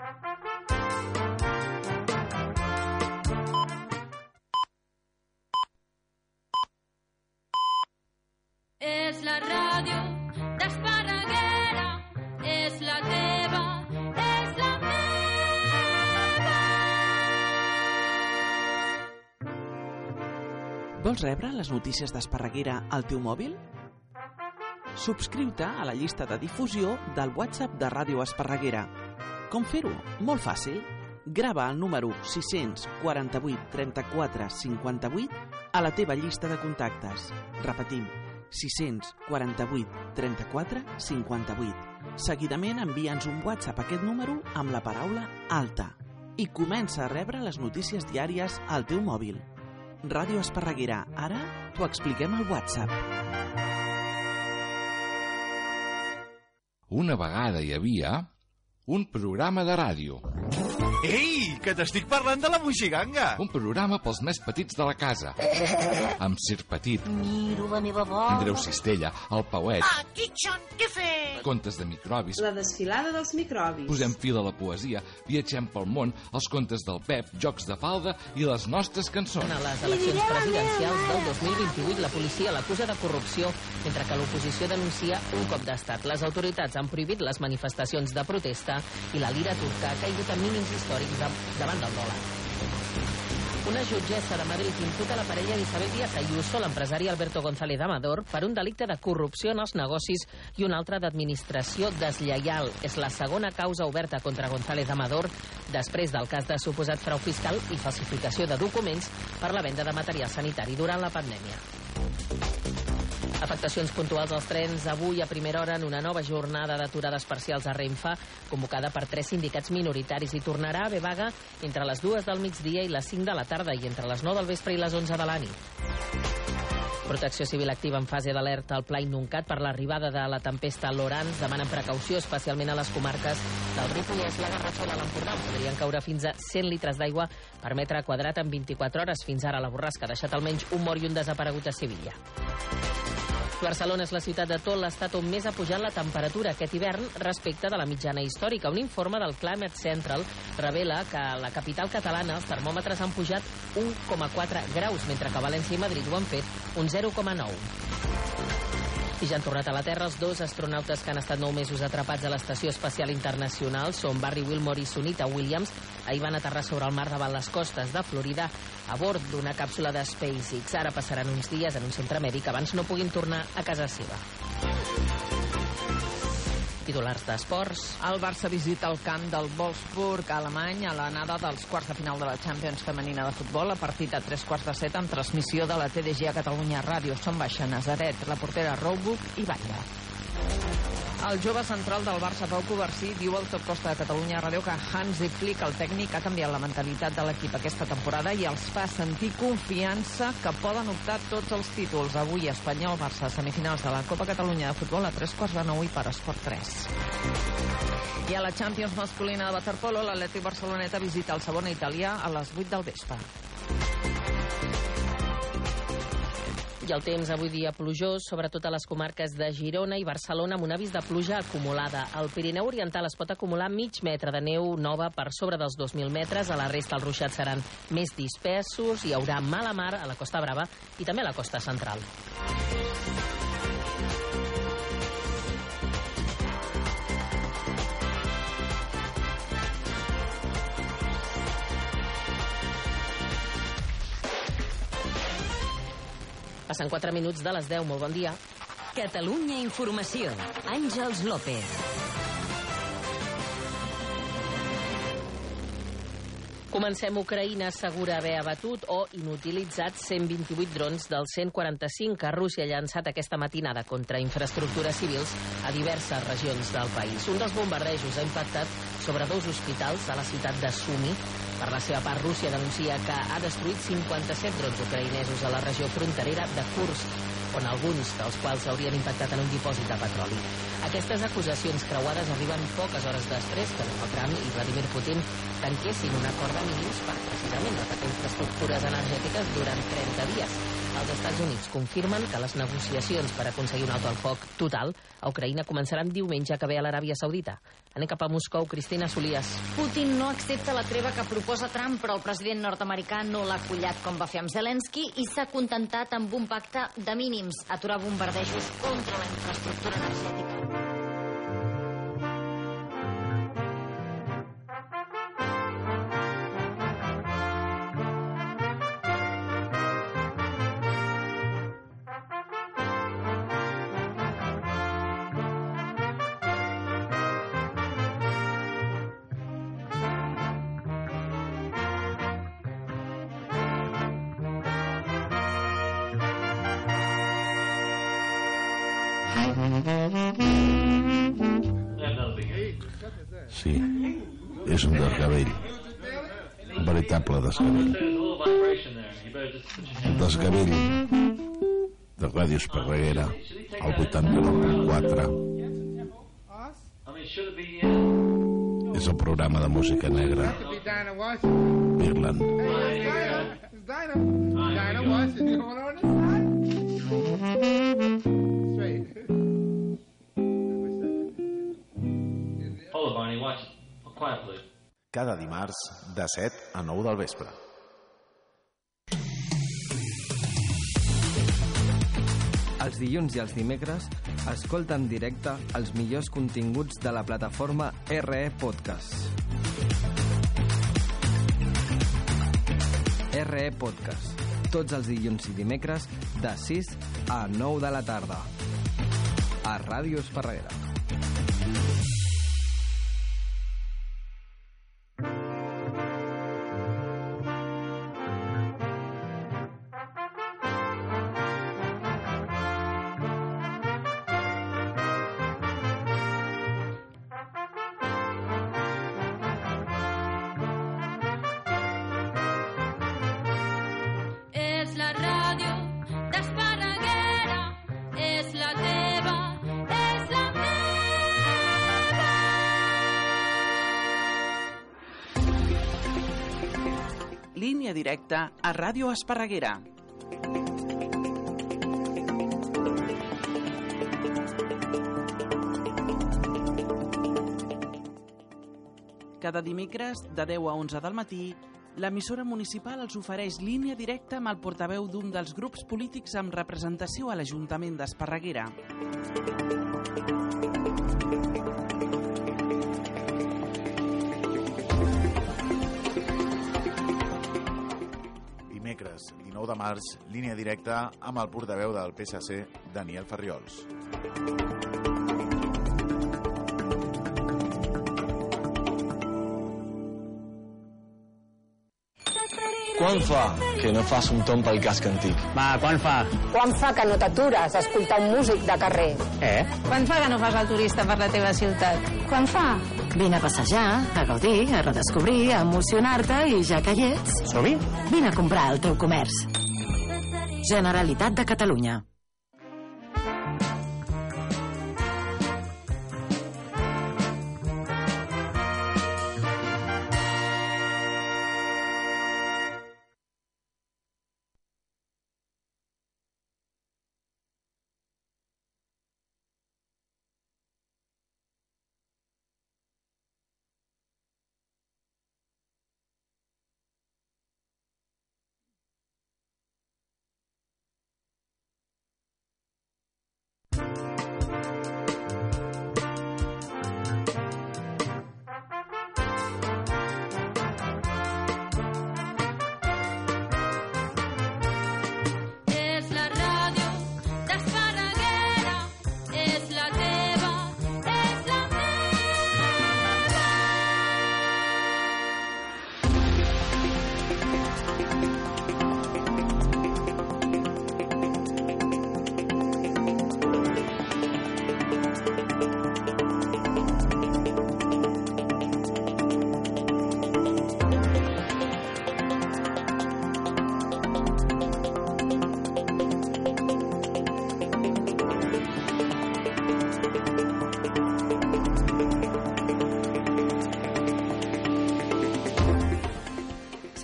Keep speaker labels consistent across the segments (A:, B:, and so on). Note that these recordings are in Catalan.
A: És la ràdio d'Esparreguera, és la teva, és la meva.
B: Vols rebre les notícies d'Esparreguera al teu mòbil? Subscriu-te a la llista de difusió del WhatsApp de Ràdio Esparreguera. Com fer-ho? Molt fàcil. Grava el número 648 34 58 a la teva llista de contactes. Repetim, 648 34 58. Seguidament envia'ns un WhatsApp a aquest número amb la paraula alta i comença a rebre les notícies diàries al teu mòbil. Ràdio Esparreguera, ara t'ho expliquem al WhatsApp.
C: Una vegada hi havia un programa de ràdio.
D: Ei, que t'estic parlant de la Moixiganga!
C: Un programa pels més petits de la casa. Amb Sir Petit.
E: Miro la meva bola.
C: Andreu Cistella, el Pauet.
E: Ah, Kitchen, què fes?
C: Contes de microbis.
F: La desfilada dels microbis.
C: Posem fil a la poesia, viatgem pel món, els contes del Pep, jocs de falda i les nostres cançons.
G: A les eleccions presidencials del 2028 la policia l'acusa de corrupció, mentre que l'oposició denuncia un cop d'estat. Les autoritats han prohibit les manifestacions de protesta i la lira turca ha caigut a mínims històrics davant del dòlar. Una jutgessa de Madrid imputa la parella d'Isabel Díaz Ayuso, l'empresari Alberto González Amador, per un delicte de corrupció en els negocis i un altre d'administració deslleial. És la segona causa oberta contra González Amador després del cas de suposat frau fiscal i falsificació de documents per la venda de material sanitari durant la pandèmia. Afectacions puntuals als trens avui a primera hora en una nova jornada d'aturades parcials a Renfe, convocada per 3 sindicats minoritaris, i tornarà a haver vaga entre les 2 del migdia i les 5 de la tarda i entre les 9 del vespre i les 11 de la nit. Protecció Civil activa en fase d'alerta al Pla Inuncat per l'arribada de la tempesta Laurence. Demanen precaució, especialment a les comarques del Ripollès, la Garrotxa i l'Empordà. Podrien caure fins a 100 litres d'aigua per metre quadrat en 24 hores. Fins ara la borrasca ha deixat almenys un mort i un desaparegut a Sevilla. Barcelona és la ciutat de tot l'estat on més ha pujat la temperatura aquest hivern respecte de la mitjana històrica. Un informe del Climate Central revela que a la capital catalana els termòmetres han pujat 1,4 graus, mentre que a València i Madrid ho han fet un 0,9. I ja han tornat a la Terra els 2 astronautes que han estat 9 mesos atrapats a l'Estació Espacial Internacional. Són Barry Wilmore i Sunita Williams. Ahir van aterrar sobre el mar davant les costes de Florida a bord d'una càpsula de SpaceX. Ara passaran uns dies en un centre mèdic abans no puguin tornar a casa seva. Titulars d'esports.
H: El Barça visita el camp del Wolfsburg alemany a l'anada dels quarts de final de la Champions femenina de futbol, a partir de 3:15 amb transmissió de la TDG a Catalunya Ràdio. Són baixa Nazaret, la portera Roebuck i Batlle. El jove central del Barça, Pau Covarsí, diu al Top Costa de Catalunya Ràdio que Hansi Flick, el tècnic, ha canviat la mentalitat de l'equip aquesta temporada i els fa sentir confiança que poden optar tots els títols. Avui Espanyol-Barça, semifinals de la Copa Catalunya de futbol a 9:15 i per Esport 3. I a la Champions masculina de waterpolo, l'Atlètic Barceloneta visita el Savona italià a les 8 del vespre.
G: I el temps avui dia plujós, sobretot a les comarques de Girona i Barcelona, amb un avís de pluja acumulada. Al Pirineu Oriental es pot acumular mig metre de neu nova per sobre dels 2.000 metres. A la resta els ruixats seran més dispersos. Hi haurà mala mar a la Costa Brava i també a la costa central. Passen 4 minuts de les 10. Molt bon dia.
I: Catalunya Informació. Àngels López.
G: Comencem. Ucraïna assegura haver abatut o inutilitzat 128 drons dels 145 que Rússia ha llançat aquesta matinada contra infraestructures civils a diverses regions del país. Un dels bombardejos ha impactat sobre 2 hospitals a la ciutat de Sumy. Per la seva part, Rússia denuncia que ha destruït 57 drons ucraïnesos a la regió fronterera de Kursk, on alguns dels quals haurien impactat en un dipòsit de petroli. Aquestes acusacions creuades arriben poques hores després que Donald Trump i Vladimir Putin tanquessin un acord de mínims per precisament atacar infraestructures energètiques durant 30 dies. Els Estats Units confirmen que les negociacions per aconseguir un alto al foc total a Ucraïna començaran diumenge que ve a l'Aràbia Saudita. Anem cap a Moscou, Cristina Solias.
E: Putin no accepta la treva que proposa Trump, però el president nord-americà no l'ha acollat com va fer amb Zelensky i s'ha contentat amb un pacte de mínims, aturar bombardejos contra la infraestructura energètica.
J: Sí, és un desgavell. Un veritable desgavell. El desgavell de Ràdio Esparreguera, al 89.4. És el programa de música negra. Irland.
K: Cada dimarts de 7 a 9 del vespre.
L: Els dilluns i els dimecres escolta en directe els millors continguts de la plataforma RE Podcast. RE Podcast. Tots els dilluns i dimecres de 6 a 9 de la tarda. A Ràdio Esparreguera.
A: És la ràdio d'Esparreguera, és la teva, és la meva.
B: Línia directa a Ràdio Esparreguera. Cada dimecres, de 10 a 11 del matí, l'emissora municipal els ofereix línia directa amb el portaveu d'un dels grups polítics amb representació a l'Ajuntament d'Esparreguera.
K: Dimecres, 19 de març, línia directa amb el portaveu del PSC, Daniel Farriols.
M: Quan fa que no fas un tomb pel casc antic?
N: Va, quan fa?
O: Quan fa que no t'atures a escoltar un músic de carrer?
H: Quan fa que no fas el turista per la teva ciutat?
O: Quan fa?
P: Vine a passejar, a gaudir, a redescobrir, a emocionar-te i ja que hi ets...
N: Som-hi?
P: Vine a comprar al teu comerç. Generalitat de Catalunya.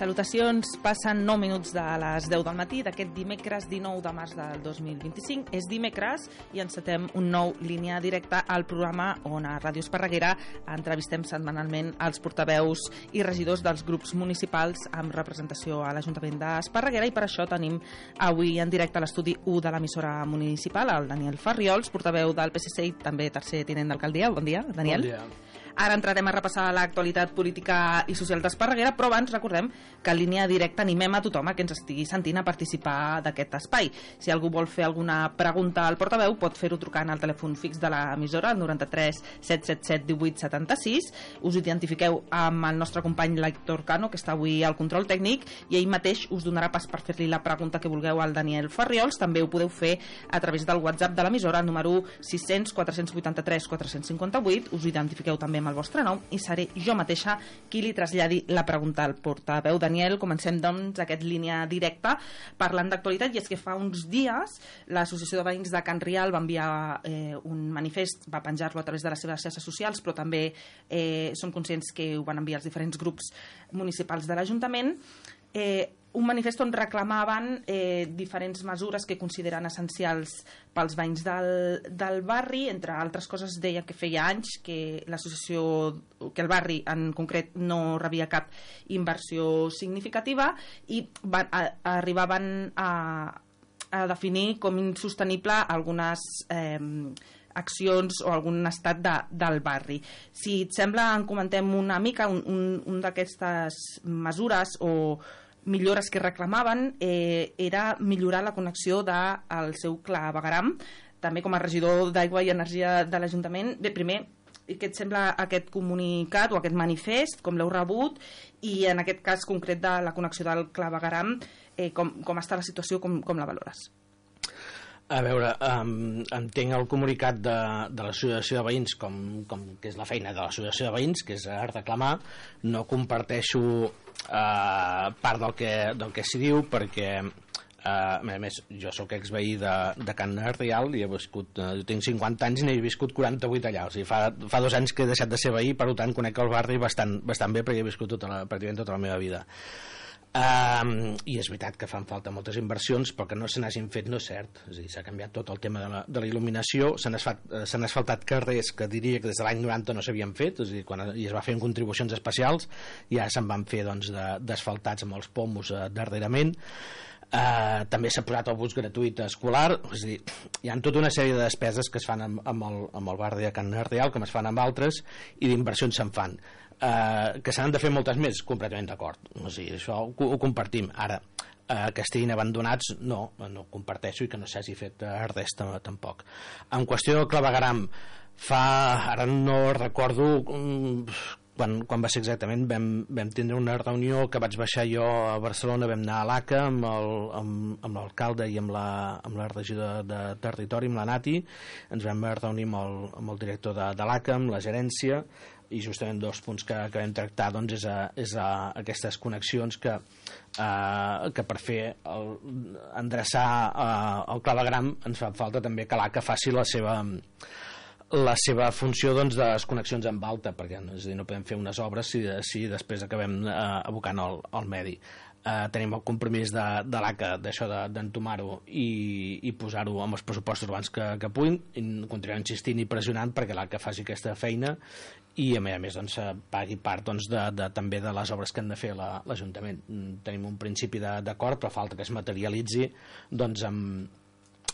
N: Salutacions, passen 9 minuts de les 10 del matí d'aquest dimecres 19 de març del 2025. És dimecres i encetem un nou línia directa al programa on a Ràdio Esparreguera entrevistem setmanalment els portaveus i regidors dels grups municipals amb representació a l'Ajuntament d'Esparreguera, i per això tenim avui en directe a l'estudi 1 de l'emissora municipal el Daniel Farriols, portaveu del PSC i també tercer tinent d'alcaldia. Bon dia, Daniel.
Q: Bon dia.
N: Ara entrarem a repassar l'actualitat política i social d'Esparreguera, però abans recordem que en línia directa animem a tothom a que ens estigui sentint a participar d'aquest espai. Si algú vol fer alguna pregunta al portaveu, pot fer-ho trucant al telèfon fix de l'emissora, el 93 777 18 76. Us identifiqueu amb el nostre company l'Héctor Cano, que està avui al control tècnic, i ell mateix us donarà pas per fer-li la pregunta que vulgueu al Daniel Farriols. També ho podeu fer a través del WhatsApp de l'emissora, el número 600 483 458. Us identifiqueu també amb el vostre nom i seré jo mateixa qui li traslladi la pregunta al portaveu. Daniel, comencem doncs aquest línia directa parlant d'actualitat, i és que fa uns dies l'Associació de Veïns de Can Rial va enviar un manifest, va penjar-lo a través de les seves xarxes socials, però també som conscients que ho van enviar els diferents grups municipals de l'Ajuntament. Un manifest on reclamaven diferents mesures que consideren essencials pels veïns del barri. Entre altres coses, deia que feia anys que l'associació, que el barri en concret no rebia cap inversió significativa, i arribaven a definir com insostenible algunes accions o algun estat del barri. Si et sembla, en comentem una mica. Un d'aquestes mesures o millores que reclamaven era millorar la connexió del seu clavegueram, també com a regidor d'Aigua i Energia de l'Ajuntament. Bé, primer, què et sembla aquest comunicat o aquest manifest, com l'heu rebut, i en aquest cas concret de la connexió del clavegueram, com està la situació, com la valores?
Q: A veure, entenc el comunicat de l'Associació de Veïns com que és la feina de l'Associació de Veïns, que és reclamar. No comparteixo part del que s'hi diu, perquè a més jo sóc exveí de Can Rial i he viscut, jo tinc 50 anys i n'he viscut 48 allà, o sigui, fa 2 anys que he deixat de ser veí, per tant conec el barri bastant bé, perquè he viscut pràcticament tota la meva vida. I és veritat que fan falta moltes inversions, però que no se n'hagin fet no és cert. És a dir, s'ha canviat tot el tema de la il·luminació, s'han asfaltat carrers que diria que des de l'any 90 no s'havien fet, és a dir, quan es va fer en contribucions especials, ja se'n van fer d'asfaltats amb els pomos darrerament. També s'ha posat el bus gratuït escolar, és a dir, hi ha tota una sèrie de despeses que es fan amb el barri de Can Rial, com es fan amb altres, i d'inversions se'n fan. Que s'han de fer moltes més, completament d'acord, o sigui, això ho compartim. Ara, que estiguin abandonats no comparteixo, i que no s'hagi fet res tampoc. En qüestió del clavegueram, ara no recordo quan va ser exactament, vam tindre una reunió que vaig baixar jo a Barcelona, vam anar a l'ACA amb l'alcalde i amb la regidora de territori, amb la Nati, ens vam reunir amb el director de l'ACA, amb la gerència, i justament 2 punts que vam tractar és aquestes connexions que per fer endreçar el clavegueram ens fa falta també que l'ACA faci la seva funció de les connexions amb alta, perquè és a dir, no podem fer unes obres si després acabem abocant al medi. Tenim el compromís de l'ACA d'això d'entomar-ho i posar-ho amb els pressupostos abans que puguin, i continuar insistint i pressionant perquè l'ACA faci aquesta feina i a més pagui part també de les obres que han de fer l'Ajuntament. Tenim un principi d'acord, però falta que es materialitzi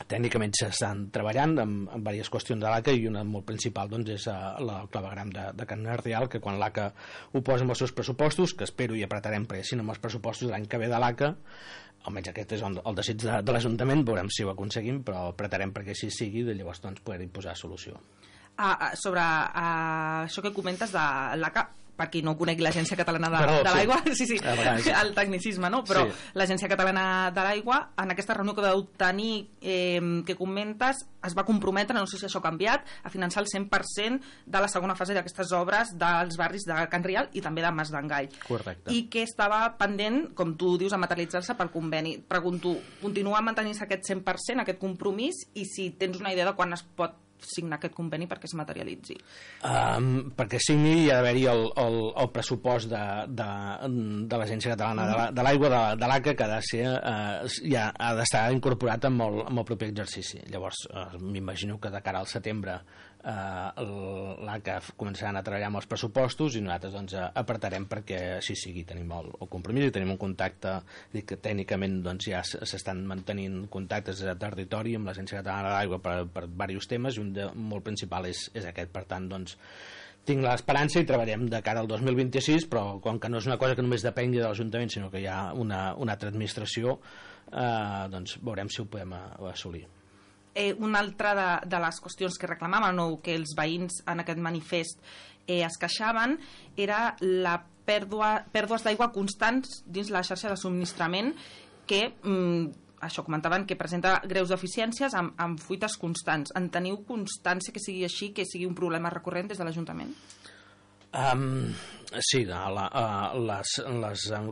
Q: tècnicament s'estan treballant amb diverses qüestions de l'ACA, i una molt principal és el clavegueram de Can Rial, que quan l'ACA ho posa amb els seus pressupostos, que espero i apretarem perquè si no amb els pressupostos l'any que ve de l'ACA, almenys aquest és el desig de l'Ajuntament, veurem si ho aconseguim, però apretarem perquè així sigui, i llavors poder-hi posar solució.
N: Sobre això que comentes de l'ACA, per qui no conegui l'Agència Catalana de l'Aigua, sí, el tecnicisme, no? Però l'Agència Catalana de l'Aigua, en aquesta reunió que vau tenir, que comentes, es va comprometre, no sé si això ha canviat, a finançar el 100% de la segona fase d'aquestes obres dels barris de Can Rial i també de Mas d'Engai.
Q: Correcte.
N: I que estava pendent, com tu dius, a materialitzar-se pel conveni. Pregunto, continua mantenint-se aquest 100%, aquest compromís, i si tens una idea de quan es pot signar aquest conveni perquè es materialitzi?
Q: Perquè signi hi ha d'haver-hi el pressupost de l'Agència Catalana de l'Aigua, de l'ACA, que ja ha d'estar incorporat amb el proper exercici. Llavors, m'imagino que de cara al setembre l'ACA començaran a treballar amb els pressupostos i nosaltres apretarem perquè així sigui. Tenim el compromís i tenim un contacte, que tècnicament ja s'estan mantenint contactes de territori amb l'Agència Catalana de l'Aigua per diversos temes, i un molt principal és aquest. Per tant, tinc l'esperança i treballem de cara al 2026, però com que no és una cosa que només depengui de l'Ajuntament, sinó que hi ha una altra administració, veurem si ho podem assolir.
N: Una altra de les qüestions que reclamaven o que els veïns en aquest manifest es queixaven era la pèrdues d'aigua constants dins la xarxa de subministrament, que això comentaven que presenta greus deficiències amb fuites constants. En teniu constància que sigui així, que sigui un problema recurrent des de l'Ajuntament?
Q: Sí, les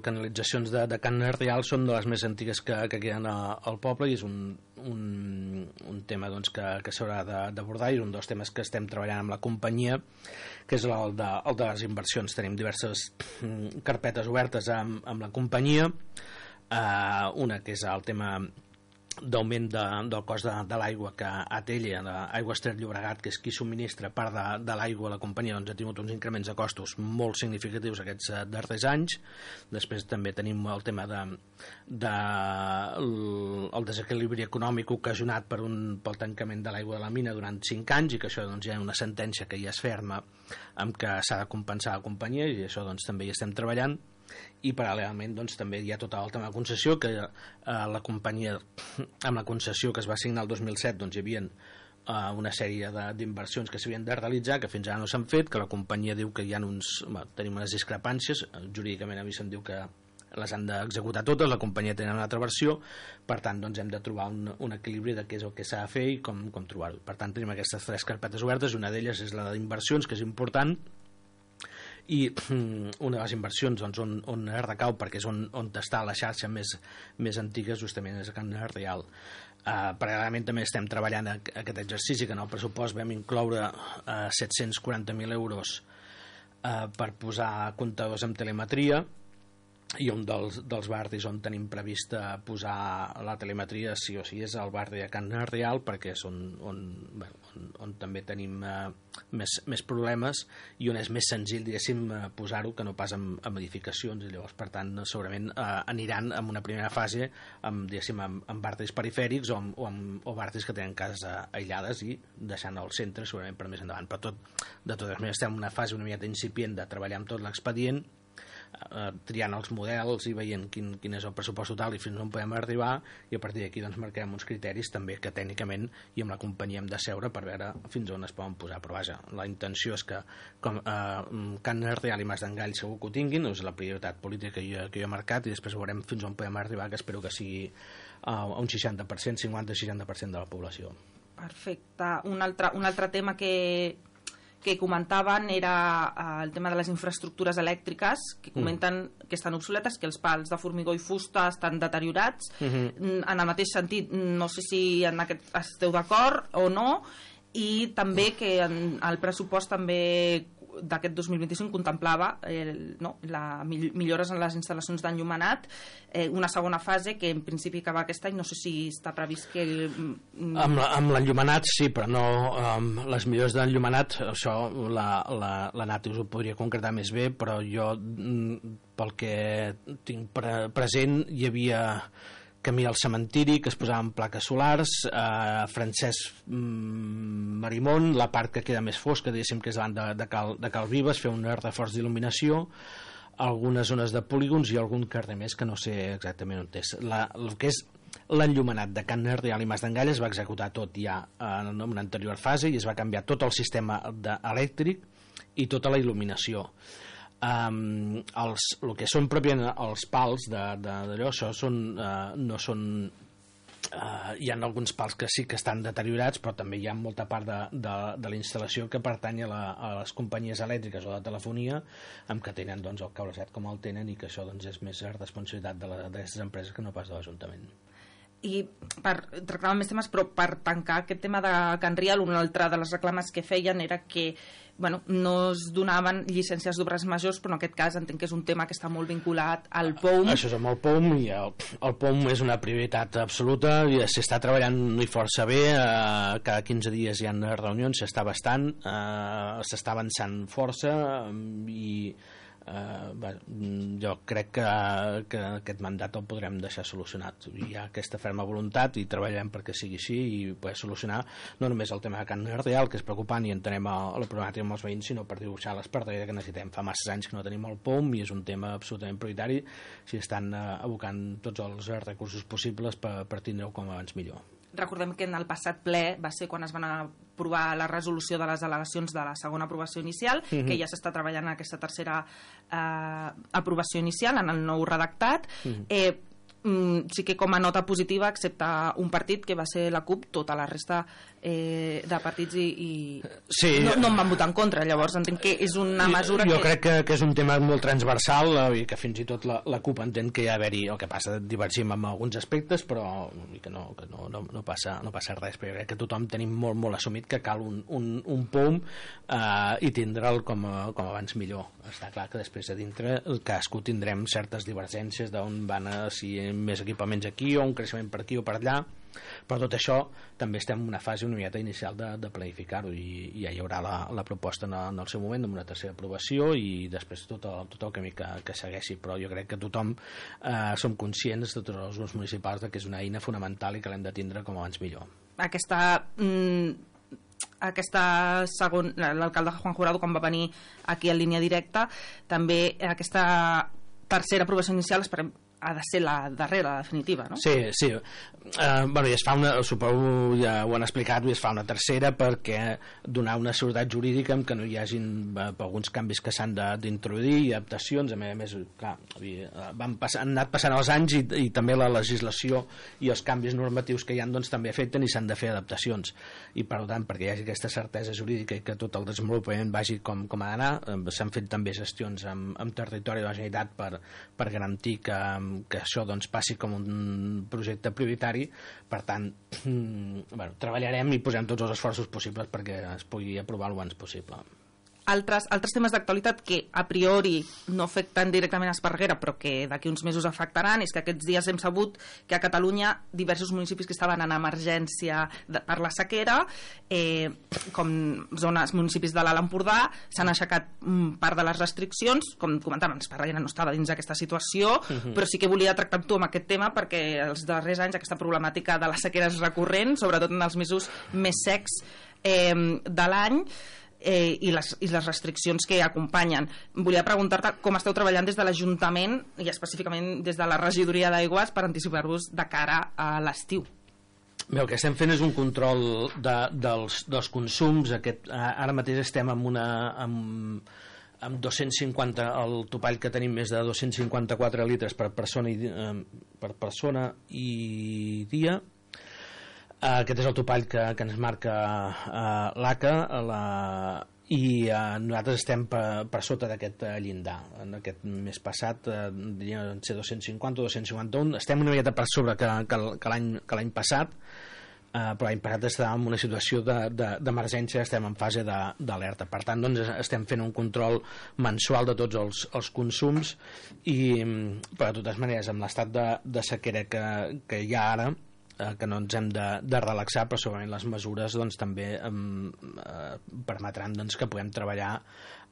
Q: canalitzacions de Can Real són de les més antigues que queden al poble, i és un tema que s'haurà d'abordar, i és un dels temes que estem treballant amb la companyia, que és el de les inversions. Tenim diverses carpetes obertes amb la companyia, una que és el tema d'augment del cost de l'aigua, que Atella, Aigües Ter Llobregat, que és qui subministra part de l'aigua a la companyia, ha tingut uns increments de costos molt significatius aquests darrers anys. Després també tenim el tema del desequilibri econòmic ocasionat pel tancament de l'aigua de la mina durant 5 anys, i que això hi ha una sentència que ja es ferma amb que s'ha de compensar la companyia, i això també hi estem treballant. I paral·lelament també hi ha tot el tema de concessió, que la companyia, amb la concessió que es va signar el 2007, hi havia una sèrie d'inversions que s'havien de realitzar, que fins ara no s'han fet, que la companyia diu que hi ha tenim unes discrepàncies, jurídicament a mi se'm diu que les han d'executar totes, la companyia té una altra versió, per tant hem de trobar un equilibri de què és el que s'ha de fer i com trobar-ho. Per tant, tenim aquestes 3 carpetes obertes, una d'elles és la d'inversions, que és important, i una de les inversions on recau, perquè és on està la xarxa més antiga, justament és a Can Real. Paral·lelament també estem treballant aquest exercici, que en el pressupost vam incloure 740.000 euros per posar comptadors amb telemetria, i un dels barris on tenim previst posar la telemetria sí o sí és el barri de Can Real, perquè és on també tenim més problemes i on és més senzill, diguéssim, posar-ho que no pas amb edificacions. I llavors, per tant, segurament aniran en una primera fase amb barris perifèrics o barris que tenen cases aïllades, i deixant el centre segurament per més endavant. Però de totes maneres estem en una fase una mica incipient de treballar amb tot l'expedient, triant els models i veient quin és el pressupost total i fins on podem arribar, i a partir d'aquí marcarem uns criteris també que tècnicament i amb la companyia hem de seure per veure fins on es poden posar. Però vaja, la intenció és que Can Real i Mas d'Engall segur que ho tinguin, és la prioritat política que jo he marcat, i després veurem fins on podem arribar, que espero que sigui un 60%, 50-60% de la població.
N: Perfecte. Un altre tema que comentaven era el tema de les infraestructures elèctriques, que comenten que estan obsoletes, que els pals de formigó i fusta estan deteriorats. En el mateix sentit, no sé si en aquest esteu d'acord o no, i també que el pressupost també d'aquest 2025 contemplava millores en les instal·lacions d'enllumenat, una segona fase que en principi acaba aquest any. No sé si està previst que...
Q: Amb l'enllumenat sí, però no les millores d'enllumenat, això la Nati us ho podria concretar més bé, però jo pel que tinc present hi havia camí al cementiri, que es posaven plaques solars, Francesc Marimón, la part que queda més fosca, diguéssim que és davant de Cal Vives, fer un reforç d'il·luminació, algunes zones de polígons i algun carrer més que no sé exactament on és. El que és l'enllumenat de Can Real i Mas d'Engall es va executar tot ja en una anterior fase i es va canviar tot el sistema elèctric i tota la il·luminació. El que són pròpiament els pals d'allò, això no són... Hi ha alguns pals que sí que estan deteriorats, però també hi ha molta part de la instal·lació que pertany a les companyies elèctriques o de telefonia, amb que tenen el cableset com el tenen, i que això és més responsabilitat d'aquestes empreses que no pas de l'Ajuntament.
N: i per tractar més temes, però per tancar aquest tema de Can Rial, una altra de les reclames que feien era que no es donaven llicències d'obres majors, però en aquest cas entenc que és un tema que està molt vinculat al POUM.
Q: Això és amb el POUM, i el POUM és una prioritat absoluta, i s'està treballant força bé, cada 15 dies hi ha reunions, s'està avançant força, i jo crec que aquest mandat el podrem deixar solucionat. Hi ha aquesta ferma voluntat i treballarem perquè sigui així i poder solucionar no només el tema de Can Rial, que és preocupant i entenem la problemàtica amb els veïns, sinó per dibuixar l'espartera que necessitem. Fa massa anys que no tenim el POUM i és un tema absolutament prioritari. Si estan abocant tots els recursos possibles per tindre-ho com abans millor.
N: Recordem que en el passat ple va ser quan es van aprovar la resolució de les al·legacions de la segona aprovació inicial, que ja s'està treballant en aquesta tercera aprovació inicial, en el nou redactat. Sí que com a nota positiva, excepte un partit que va ser la CUP, tota la resta de partits no en van votar en contra. Llavors entenc que és una mesura
Q: jo crec que és un tema molt transversal i que fins i tot la CUP entén que hi ha d'haver-hi, el que passa, divergim en alguns aspectes, però que no passa res, però jo crec que tothom tenim molt assumit que cal un POUM i tindre'l com abans millor. Està clar que després de dintre cadascú tindrem certes divergències d'on van si més equipaments aquí o un creixement per aquí o per allà, però tot això també estem en una fase una miqueta inicial de planificar-ho, i ja hi haurà la proposta en el seu moment amb una tercera aprovació i després tot el camí que segueixi. Però jo crec que tothom som conscients de tots els grups municipals que és una eina fonamental i que l'hem de tindre com abans millor.
N: L'alcalde Juan Jurado, quan va venir aquí en línia directa, també aquesta tercera aprovació inicial ha de ser la darrera, la definitiva, no?
Q: Sí. I es fa suposo ja ho han explicat, i es fa una tercera perquè donar una seguretat jurídica amb que no hi hagin alguns canvis que s'han d'introduir i adaptacions. A més, clar, han anat passant els anys i també la legislació i els canvis normatius que hi ha també afecten i s'han de fer adaptacions, i per tant, perquè hi hagi aquesta certesa jurídica i que tot el desenvolupament vagi com ha d'anar, s'han fet també gestions amb territori de la Generalitat per garantir que això passi com un projecte prioritari. Per tant, treballarem i posem tots els esforços possibles perquè es pugui aprovar el abans possible.
N: Altres temes d'actualitat que a priori no afecten directament a Esparreguera però que d'aquí uns mesos afectaran és que aquests dies hem sabut que a Catalunya diversos municipis que estaven en emergència per la sequera, com municipis de l'Alt Empordà, s'han aixecat part de les restriccions. Com comentaven, Esparreguera no estava dins d'aquesta situació, però sí que volia tractar amb tu amb aquest tema perquè els darrers anys aquesta problemàtica de la sequera és recurrent, sobretot en els mesos més secs de l'any, i les restriccions que acompanyen. Volia preguntar-te com esteu treballant des de l'Ajuntament i específicament des de la regidoria d'Aigües per anticipar-vos de cara a l'estiu.
Q: Bé, el que estem fent és un control dels consums. Ara mateix estem amb 250, el topall que tenim és de 254 litres per persona i dia. Aquest és el topall que ens marca l'ACA, i nosaltres estem per sota d'aquest llindar. En aquest mes passat devien ser 250 o 251, estem una miqueta per sobre que l'any passat, però l'any passat estàvem en una situació d'emergència, estem en fase d'alerta. Per tant, estem fent un control mensual de tots els consums, però de totes maneres, amb l'estat de sequera que hi ha ara, que no ens hem de relaxar, però segurament les mesures també permetran que puguem treballar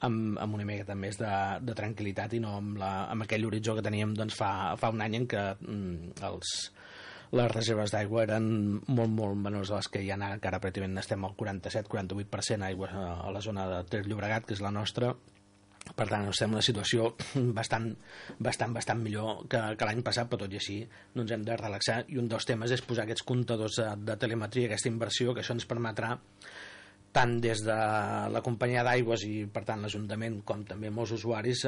Q: amb una miqueta més de tranquil·litat i no amb aquell horitzó que teníem fa un any en què les reserves d'aigua eren molt menors de les que hi ha ara, que ara pràcticament estem al 47-48% aigua a la zona de Ter Llobregat, que és la nostra. Per tant, estem en una situació bastant millor que l'any passat, però tot i així no ens hem de relaxar, i un dels temes és posar aquests comptadors de telemetria, aquesta inversió, que això ens permetrà tant des de la companyia d'aigües i per tant l'Ajuntament com també molts usuaris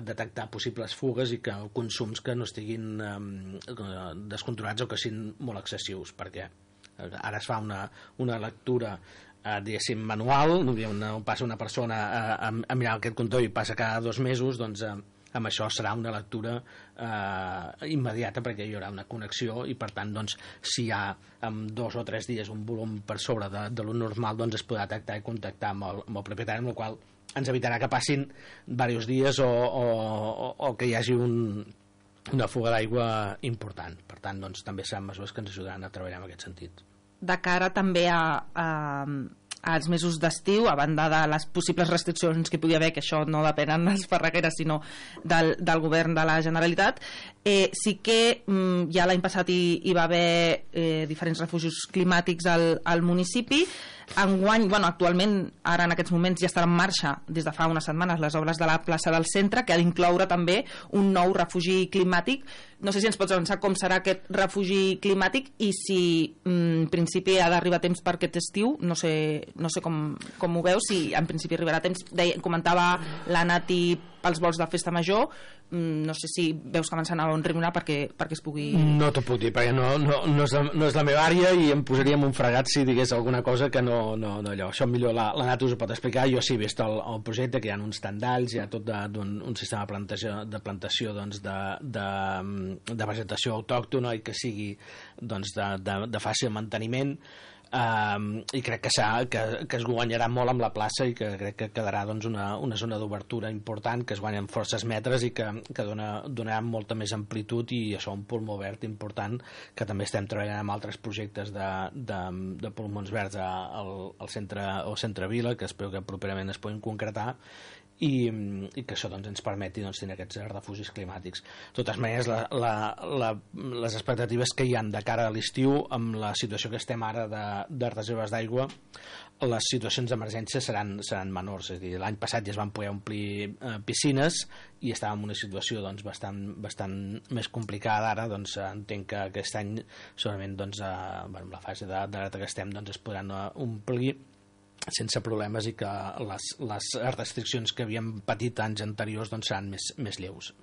Q: detectar possibles fugues i que consums que no estiguin descontrolats o que siguin molt excessius, perquè ara es fa una lectura diguéssim manual, passa una persona a mirar aquest comptador i passa cada 2 mesos, doncs amb això serà una lectura immediata, perquè hi haurà una connexió i per tant doncs, si hi ha en 2 o 3 dies un volum per sobre de lo normal, doncs es podrà detectar i contactar amb el propietari, amb el qual ens evitarà que passin diversos dies o que hi hagi una fuga d'aigua important. Per tant, doncs, també seran mesures que ens ajudaran a treballar en aquest sentit.
N: De cara també als mesos d'estiu, a banda de les possibles restriccions que hi pugui haver, que això no depenen de Esparreguera sinó del govern de la Generalitat, sí que ja l'any passat hi va haver diferents refugis climàtics al municipi. Enguany, actualment, ara en aquests moments ja estan en marxa des de fa unes setmanes les obres de la plaça del centre, que ha d'incloure també un nou refugi climàtic. No sé si ens pots avançar com serà aquest refugi climàtic i si en principi ha d'arribar a temps per aquest estiu. No sé com ho veus, si en principi arribarà a temps. Comentava la Nati pels vols de festa major, no sé si veus que avançant a un ritme perquè es pugui...
Q: No t'ho puc dir, perquè no és la meva àrea i em posaria en un fregat si digués alguna cosa que no allò. Això millor la Nat us ho pot explicar. Jo sí he vist el projecte, que hi ha uns tendalls, hi ha tot un sistema de plantació doncs, de vegetació autòctona i que sigui doncs, de fàcil manteniment. I crec que es guanyarà molt amb la plaça i que crec que quedarà doncs, una zona d'obertura important, que es guanyen forces metres i que donarà molta més amplitud i això un pulmó verd important, que també estem treballant amb altres projectes de pulmons verds al centre Vila, que espero que properament es puguin concretar i que això doncs, ens permeti doncs, tenir aquests refugis climàtics. De totes maneres, les expectatives que hi han de cara a l'estiu, amb la situació que estem ara de reserves d'aigua, les situacions d'emergència seran menors. És a dir, l'any passat ja es van poder omplir piscines i estàvem en una situació doncs, bastant més complicada. Ara doncs, entenc que aquest any segurament doncs, en la fase d'alerta que estem doncs, es podran omplir sense problemes i que les restriccions que havíem patit anys anteriors doncs, seran més lleus.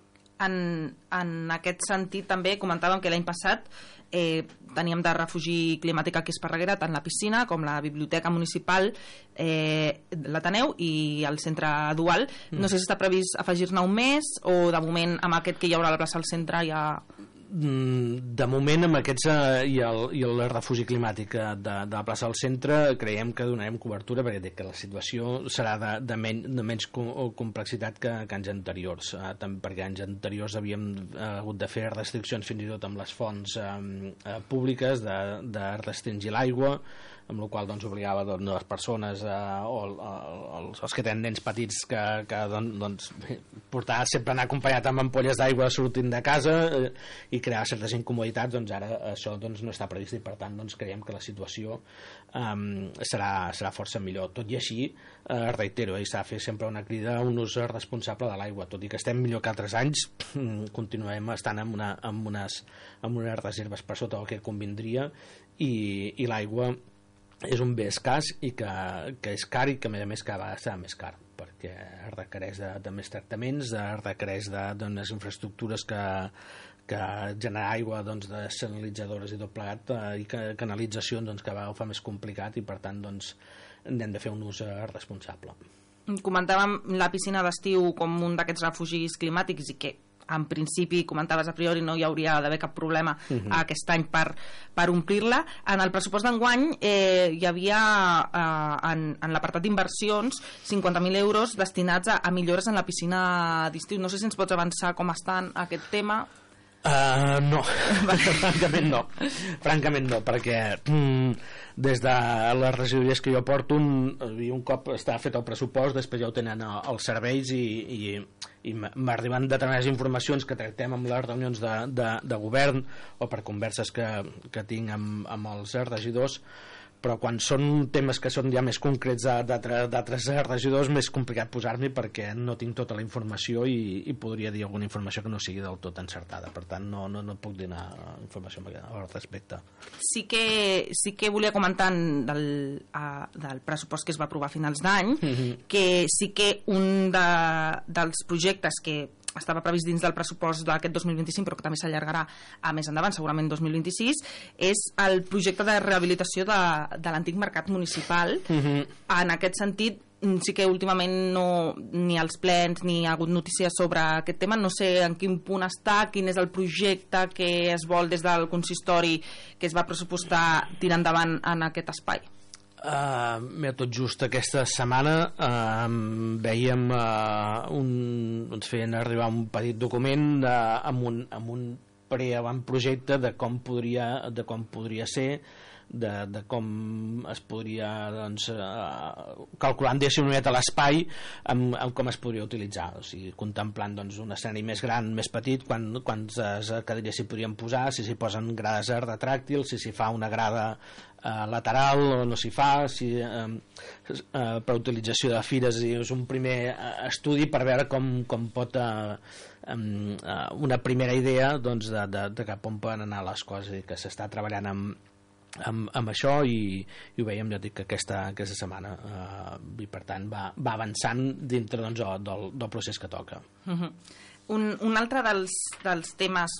N: En aquest sentit també comentàvem que l'any passat teníem de refugi climàtic aquí a Esparreguera tant la piscina com la biblioteca municipal, l'Ateneu i el centre dual. No sé si està previst afegir-ne un més o de moment amb aquest que hi haurà a la plaça del centre ja...
Q: De moment amb aquests i el refugi climàtic de la plaça del centre creiem que donarem cobertura perquè que la situació serà de menys complexitat que anys anteriors, perquè anys anteriors havíem hagut de fer restriccions fins i tot amb les fonts públiques de restringir l'aigua, amb la qual doncs, obligava les persones o els que tenen nens petits que portar sempre anar acompanyat amb ampolles d'aigua sortint de casa i crear certes incomoditats. Doncs ara això doncs, no està previst i per tant doncs, creiem que la situació serà força millor. Tot i així, reitero, s'ha de fer sempre una crida a un ús responsable de l'aigua. Tot i que estem millor que altres anys, continuem estant amb unes reserves per sota del que convindria i l'aigua és un bé escàs i que és car i que a més cada vegada serà més car perquè requereix de més tractaments, requereix d'unes infraestructures que generar aigua doncs, de sanalitzadores i tot plegat i canalitzacions doncs, cada vegada ho fa més complicat i per tant doncs, n'hem de fer un ús responsable.
N: Comentàvem la piscina d'estiu com un d'aquests refugis climàtics i que en principi, comentaves a priori, no hi hauria d'haver cap problema aquest any per omplir-la. En el pressupost d'enguany hi havia en l'apartat d'inversions 50.000 euros destinats a millores en la piscina d'estiu. No sé si ens pots avançar com estan aquest tema.
Q: No, francament no, perquè des de les regidories que jo porto un cop està fet el pressupost, després ja ho tenen els serveis i m'arriben determinades informacions que tractem amb les reunions de govern o per converses que tinc amb els regidors, però quan són temes que són ja més concrets d'altres regidors, més complicat posar-m'hi perquè no tinc tota la informació i podria dir alguna informació que no sigui del tot encertada. Per tant, no puc donar informació al respecte.
N: Sí que volia comentar del pressupost que es va aprovar a finals d'any, que sí que un dels projectes que estava previst dins del pressupost d'aquest 2025, però que també s'allargarà a més endavant, segurament 2026, és el projecte de rehabilitació de l'antic mercat municipal. En aquest sentit, sí que últimament ni als plens ni ha hagut notícies sobre aquest tema. No sé en quin punt està, quin és el projecte que es vol des del consistori que es va pressupostar tirar endavant en aquest espai.
Q: Tot just aquesta setmana veiem ens feien arribar un petit document amb un preavantprojecte de com podria ser, de com es podria calculant una mica l'espai amb com es podria utilitzar, o sigui, contemplant un escenari més gran, més petit, quantes cadires s'hi podrien posar, si s'hi posen grades retràctils, si s'hi fa una grada lateral o no s'hi fa, si per utilització de fires. És un primer estudi per veure com pot una primera idea de cap on poden anar les coses, i que s'està treballant amb això, i ho veiem, ja dic, que aquesta setmana i per tant va avançant dintre del procés que toca.
N: Un altre dels temes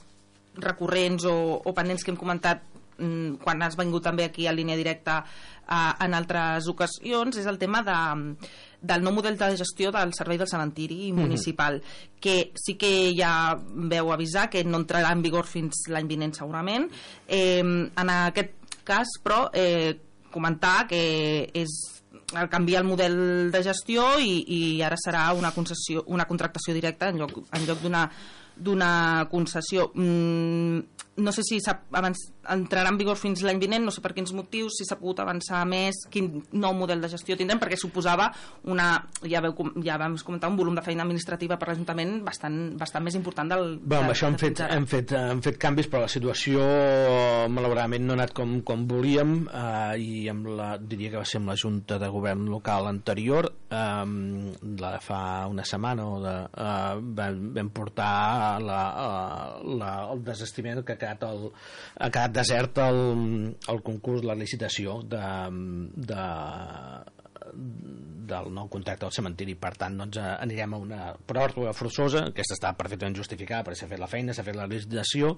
N: recurrents o pendents que hem comentat quan has vingut també aquí a Línia Directa en altres ocasions és el tema del nou model de gestió del servei del cementiri municipal, que sí que ja veu avisar que no entrarà en vigor fins l'any vinent segurament. En aquest cas, però, comentar que és canviar el model de gestió i ara serà una contractació directa en lloc d'una concessió. No sé si entrarà en vigor fins l'any vinent, no sé per quins motius, si s'ha pogut avançar més, quin nou model de gestió tindrem, perquè suposava ja vam comentar, un volum de feina administrativa per l'Ajuntament bastant més important del...
Q: Amb això hem fet canvis, però la situació malauradament no ha anat com volíem, i diria que va ser amb la Junta de Govern local anterior, fa una setmana vam portar el desestiment que ha quedat desert el concurs, la licitació del nou contracte del cementiri. Per tant, anirem a una pròrroga forçosa. Aquesta està perfectament justificada perquè s'ha fet la feina, s'ha fet la licitació,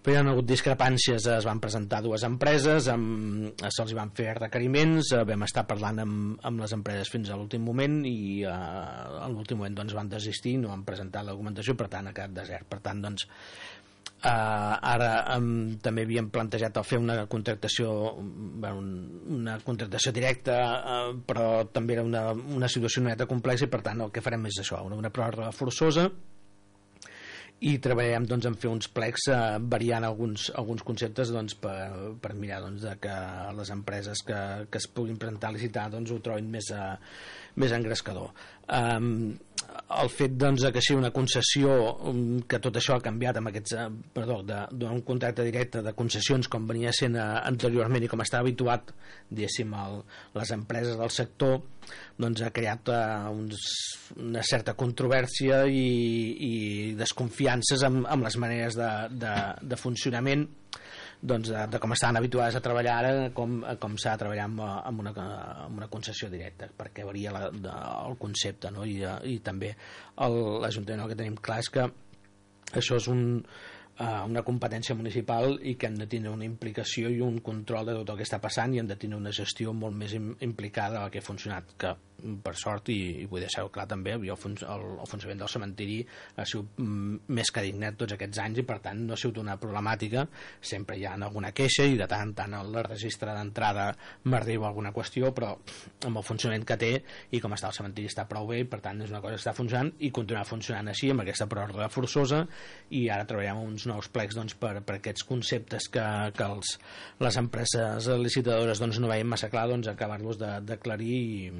Q: però hi ha hagut discrepàncies. Es van presentar dues empreses, se'ls van fer requeriments, vam estar parlant amb les empreses fins a l'últim moment, i a l'últim moment van desistir, no han presentat la documentació, per tant ha quedat desert. Per tant, ara també havíem plantejat fer una contractació directa, però també era una situació una mica complexa, i per tant el que farem és això, una pròrroga forçosa, i treballarem en fer uns plecs variant alguns conceptes per mirar que les empreses que es puguin presentar a licitar ho trobin més engrescador. El fet que sigui una concessió, que tot això ha canviat amb d'un contracte directe de concessions com venia sent anteriorment i com estava habituat, diguéssim, les empreses del sector, ha creat una certa controvèrsia i desconfiances amb les maneres de funcionament, de com estaven habituades a treballar ara, com s'ha de treballar amb una concessió directa, perquè varia el concepte, no? I també l'Ajuntament, el que tenim clar és que això és una competència municipal, i que hem de tenir una implicació i un control de tot el que està passant, i hem de tenir una gestió molt més implicada a la que ha funcionat, que per sort, i vull deixar-ho clar també, el funcionament del cementiri ha sigut més que dignat tots aquests anys, i per tant no ha sigut una problemàtica. Sempre hi ha alguna queixa, i de tant en tant al registre d'entrada m'arriba alguna qüestió, però amb el funcionament que té i com està el cementiri està prou bé, i per tant és una cosa que està funcionant i continuarà funcionant així, amb aquesta pròrroga forçosa. I ara treballarem uns nous plecs per aquests conceptes que les empreses licitadores no veien massa clar, acabar-los d'aclarir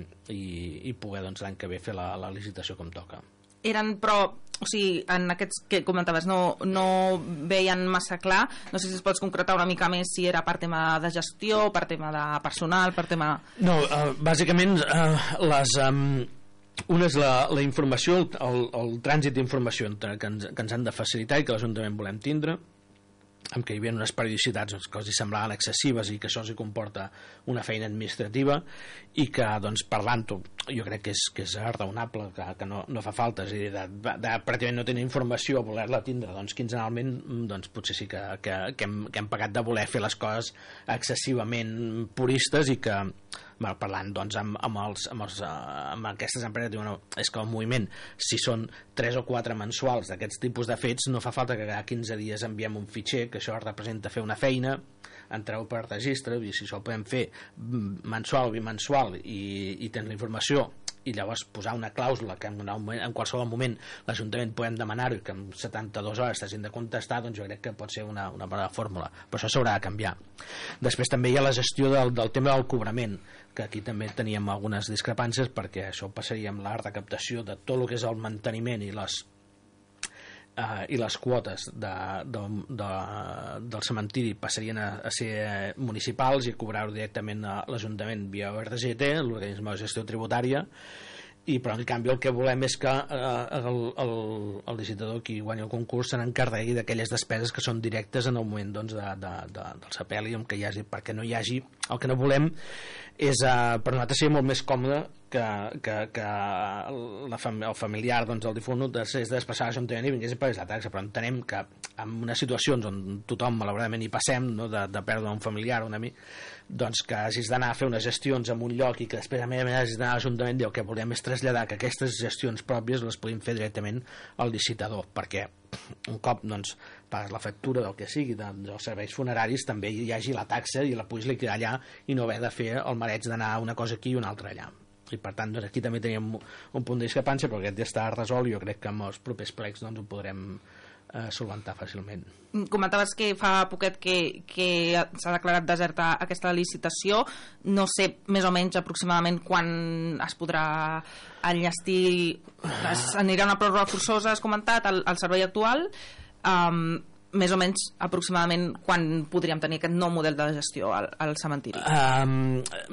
Q: i poder l'any que ve fer la licitació com toca.
N: Però, o sigui, en aquests que comentaves no veien massa clar, no sé si es pots concretar una mica més si era per tema de gestió, per tema de personal, per tema...
Q: No, bàsicament una és la informació, el trànsit d'informació que ens han de facilitar i que l'Ajuntament volem tindre, amb què hi havia unes periodicitats que els semblaven excessives i que això els comporta una feina administrativa, i que parlant-ho jo crec que és raonable, que no fa falta, és a dir, de pràcticament no tenir informació, voler-la tindre, doncs quinzenalment, doncs potser sí que hem pagat de voler fer les coses excessivament puristes i que, parlant doncs amb aquestes empreses, diuen, no, és que el moviment, si són 3 o 4 mensuals d'aquests tipus de fets, no fa falta que cada 15 dies enviem un fitxer, que això representa fer una feina, entreu per registre, i si això ho podem fer mensual o bimensual i tens la informació i llavors posar una clàusula que en qualsevol moment l'Ajuntament podem demanar-ho i que en 72 hores t'hagin de contestar, doncs jo crec que pot ser una bona fórmula, però això s'haurà de canviar. Després també hi ha la gestió del tema del cobrament, que aquí també teníem algunes discrepàncies, perquè això passaria amb la recaptació de tot el que és el manteniment i les quotes del cementiri passarien a ser municipals i cobrar-ho directament a l'Ajuntament via ORGT, l'organisme de gestió tributària, però en canvi el que volem és que el licitador, qui guanya el concurs, se n'encarregui d'aquelles despeses que són directes en el moment doncs, del sepeli, que hi hagi, perquè no hi hagi, el que no volem és, per nosaltres seria molt més còmode que el familiar, doncs, el difunt, és de desplaçar a l'Ajuntament i vingués a pagar la taxa, però entenem que en unes situacions on tothom malauradament hi passem, no, de perdre un familiar o un amic, doncs que hagis d'anar a fer unes gestions en un lloc i que després a més hagis d'anar a l'Ajuntament, el que volem és traslladar que aquestes gestions pròpies les podem fer directament al licitador, perquè un cop doncs, pagues la factura del que sigui dels serveis funeraris, també hi hagi la taxa i la puguis liquidar allà i no haver de fer el mareig d'anar una cosa aquí i una altra allà. I per tant, doncs, aquí també teníem un punt de discrepància, però aquest ja està resolt i jo crec que amb els propers plecs doncs, ho podrem solventar fàcilment.
N: Comentaves que fa poquet que s'ha declarat deserta aquesta licitació. No sé més o menys aproximadament quan es podrà enllestir, anirà una pròrroga forçosa, has comentat, al servei actual. Més o menys aproximadament quan podríem tenir aquest nou model de gestió al cementiri?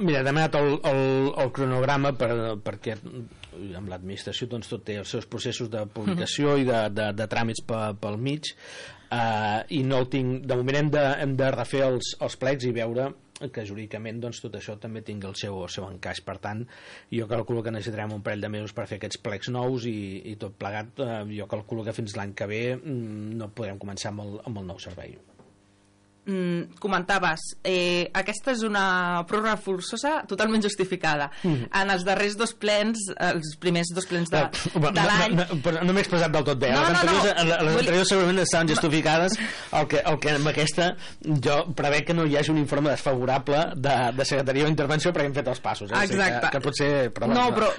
Q: Mira, he demanat el cronograma perquè amb l'administració doncs, tot té els seus processos de publicació i de tràmits pel mig, i no el tinc, de moment hem de refer els plecs i veure que jurídicament doncs, tot això també tingui el seu encaix. Per tant, jo calculo que necessitarem un parell de mesos per fer aquests plecs nous i tot plegat, jo calculo que fins l'any que ve no podrem començar amb el nou servei.
N: Comentaves, aquesta és una pròrroga forçosa totalment justificada. En els darrers 2 plens, els primers 2 plens de l'any...
Q: No m'he expressat del tot bé. Les anteriors segurament estaven justificades. El que amb aquesta jo prevec que no hi hagi un informe desfavorable de secretaria o intervenció perquè hem fet els passos.
N: Exacte.
Q: Que potser...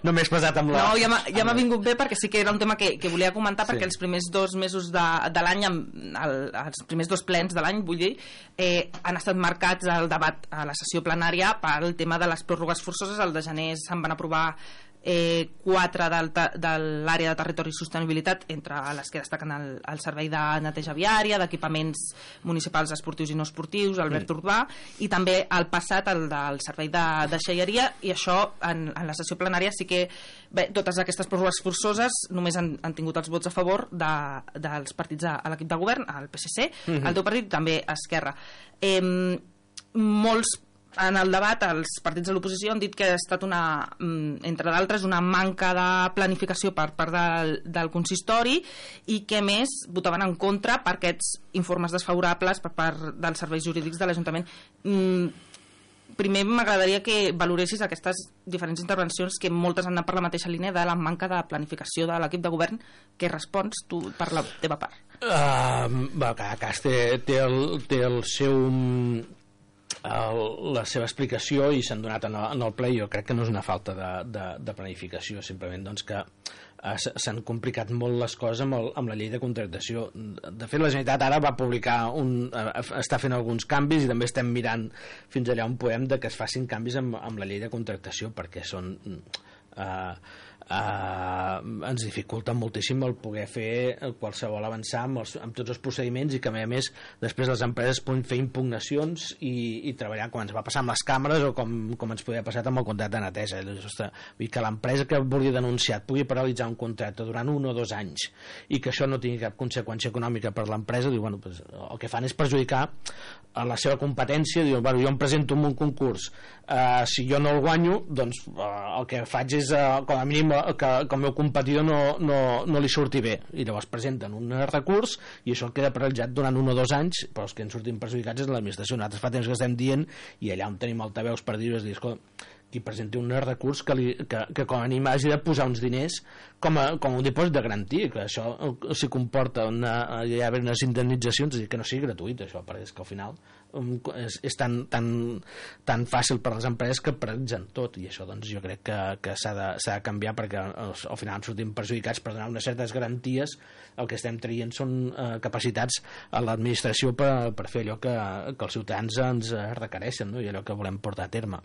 Q: No m'he expressat amb la...
N: No, ja m'ha vingut bé perquè sí que era un tema que volia comentar, perquè els primers 2 mesos de l'any, els primers 2 plens de l'any, vull dir, han estat marcats el debat a la sessió plenària pel tema de les pròrrogues forçoses. El de gener se'n van aprovar 4 de l'àrea de territori i sostenibilitat, entre les que destaquen el servei de neteja viària, d'equipaments municipals esportius i no esportius, el verd urbà, i també el passat, el del servei de deixalleria, i això en la sessió plenària sí que totes aquestes pròrrogues forçoses només han tingut els vots a favor dels partits a l'equip de govern, el PSC, el teu partit, també Esquerra. Molts en el debat, els partits de l'oposició han dit que ha estat entre d'altres, una manca de planificació per part del consistori i que més votaven en contra per aquests informes desfavorables per part dels serveis jurídics de l'Ajuntament. Primer m'agradaria que valoressis aquestes diferents intervencions, que moltes han anat per la mateixa línia de la manca de planificació de l'equip de govern. Què respons tu per la teva part?
Q: Cada cas té el seu... la seva explicació i s'han donat en el ple. Jo crec que no és una falta de planificació, simplement doncs que s'han complicat molt les coses amb la llei de contractació. De fet, la Generalitat ara va publicar està fent alguns canvis i també estem mirant fins allà on podem de que es facin canvis amb la llei de contractació, perquè són ens dificulta moltíssim el poder fer qualsevol avançar amb tots els procediments, i que a més després les empreses poden fer impugnacions i treballar com ens va passar amb les càmeres o com ens podia passar amb el contracte de neteja. Vull dir que l'empresa que vulgui denunciar pugui paralitzar un contracte durant 1 o 2 anys i que això no tingui cap conseqüència econòmica per l'empresa, diu, bueno, pues, el que fan és perjudicar la seva competència. Diu, bueno, jo em presento en un concurs, si jo no el guanyo, doncs el que faig és com a mínim que el meu competidor no li surti bé, i llavors presenten un recurs i això queda paralitzat durant 1 o 2 anys, però els que en surtin perjudicats és l'administració. Nosaltres fa temps que estem dient, i allà on tenim altaveus per dir-ho, és dir, escolta, qui presenti un recurs que com a mínim hagi de posar uns diners com un dipòsit de garantia, que això si comporta hi ha unes indemnitzacions, és dir, que no sigui gratuït això, perquè és que al final és tan fàcil per a les empreses que paralitzen tot, i això doncs jo crec que s'ha de canviar, perquè al final ens sortim perjudicats per donar unes certes garanties. El que estem traient són capacitats a l'administració per fer allò que els ciutadans ens requereixen, no? I allò que volem portar a terme.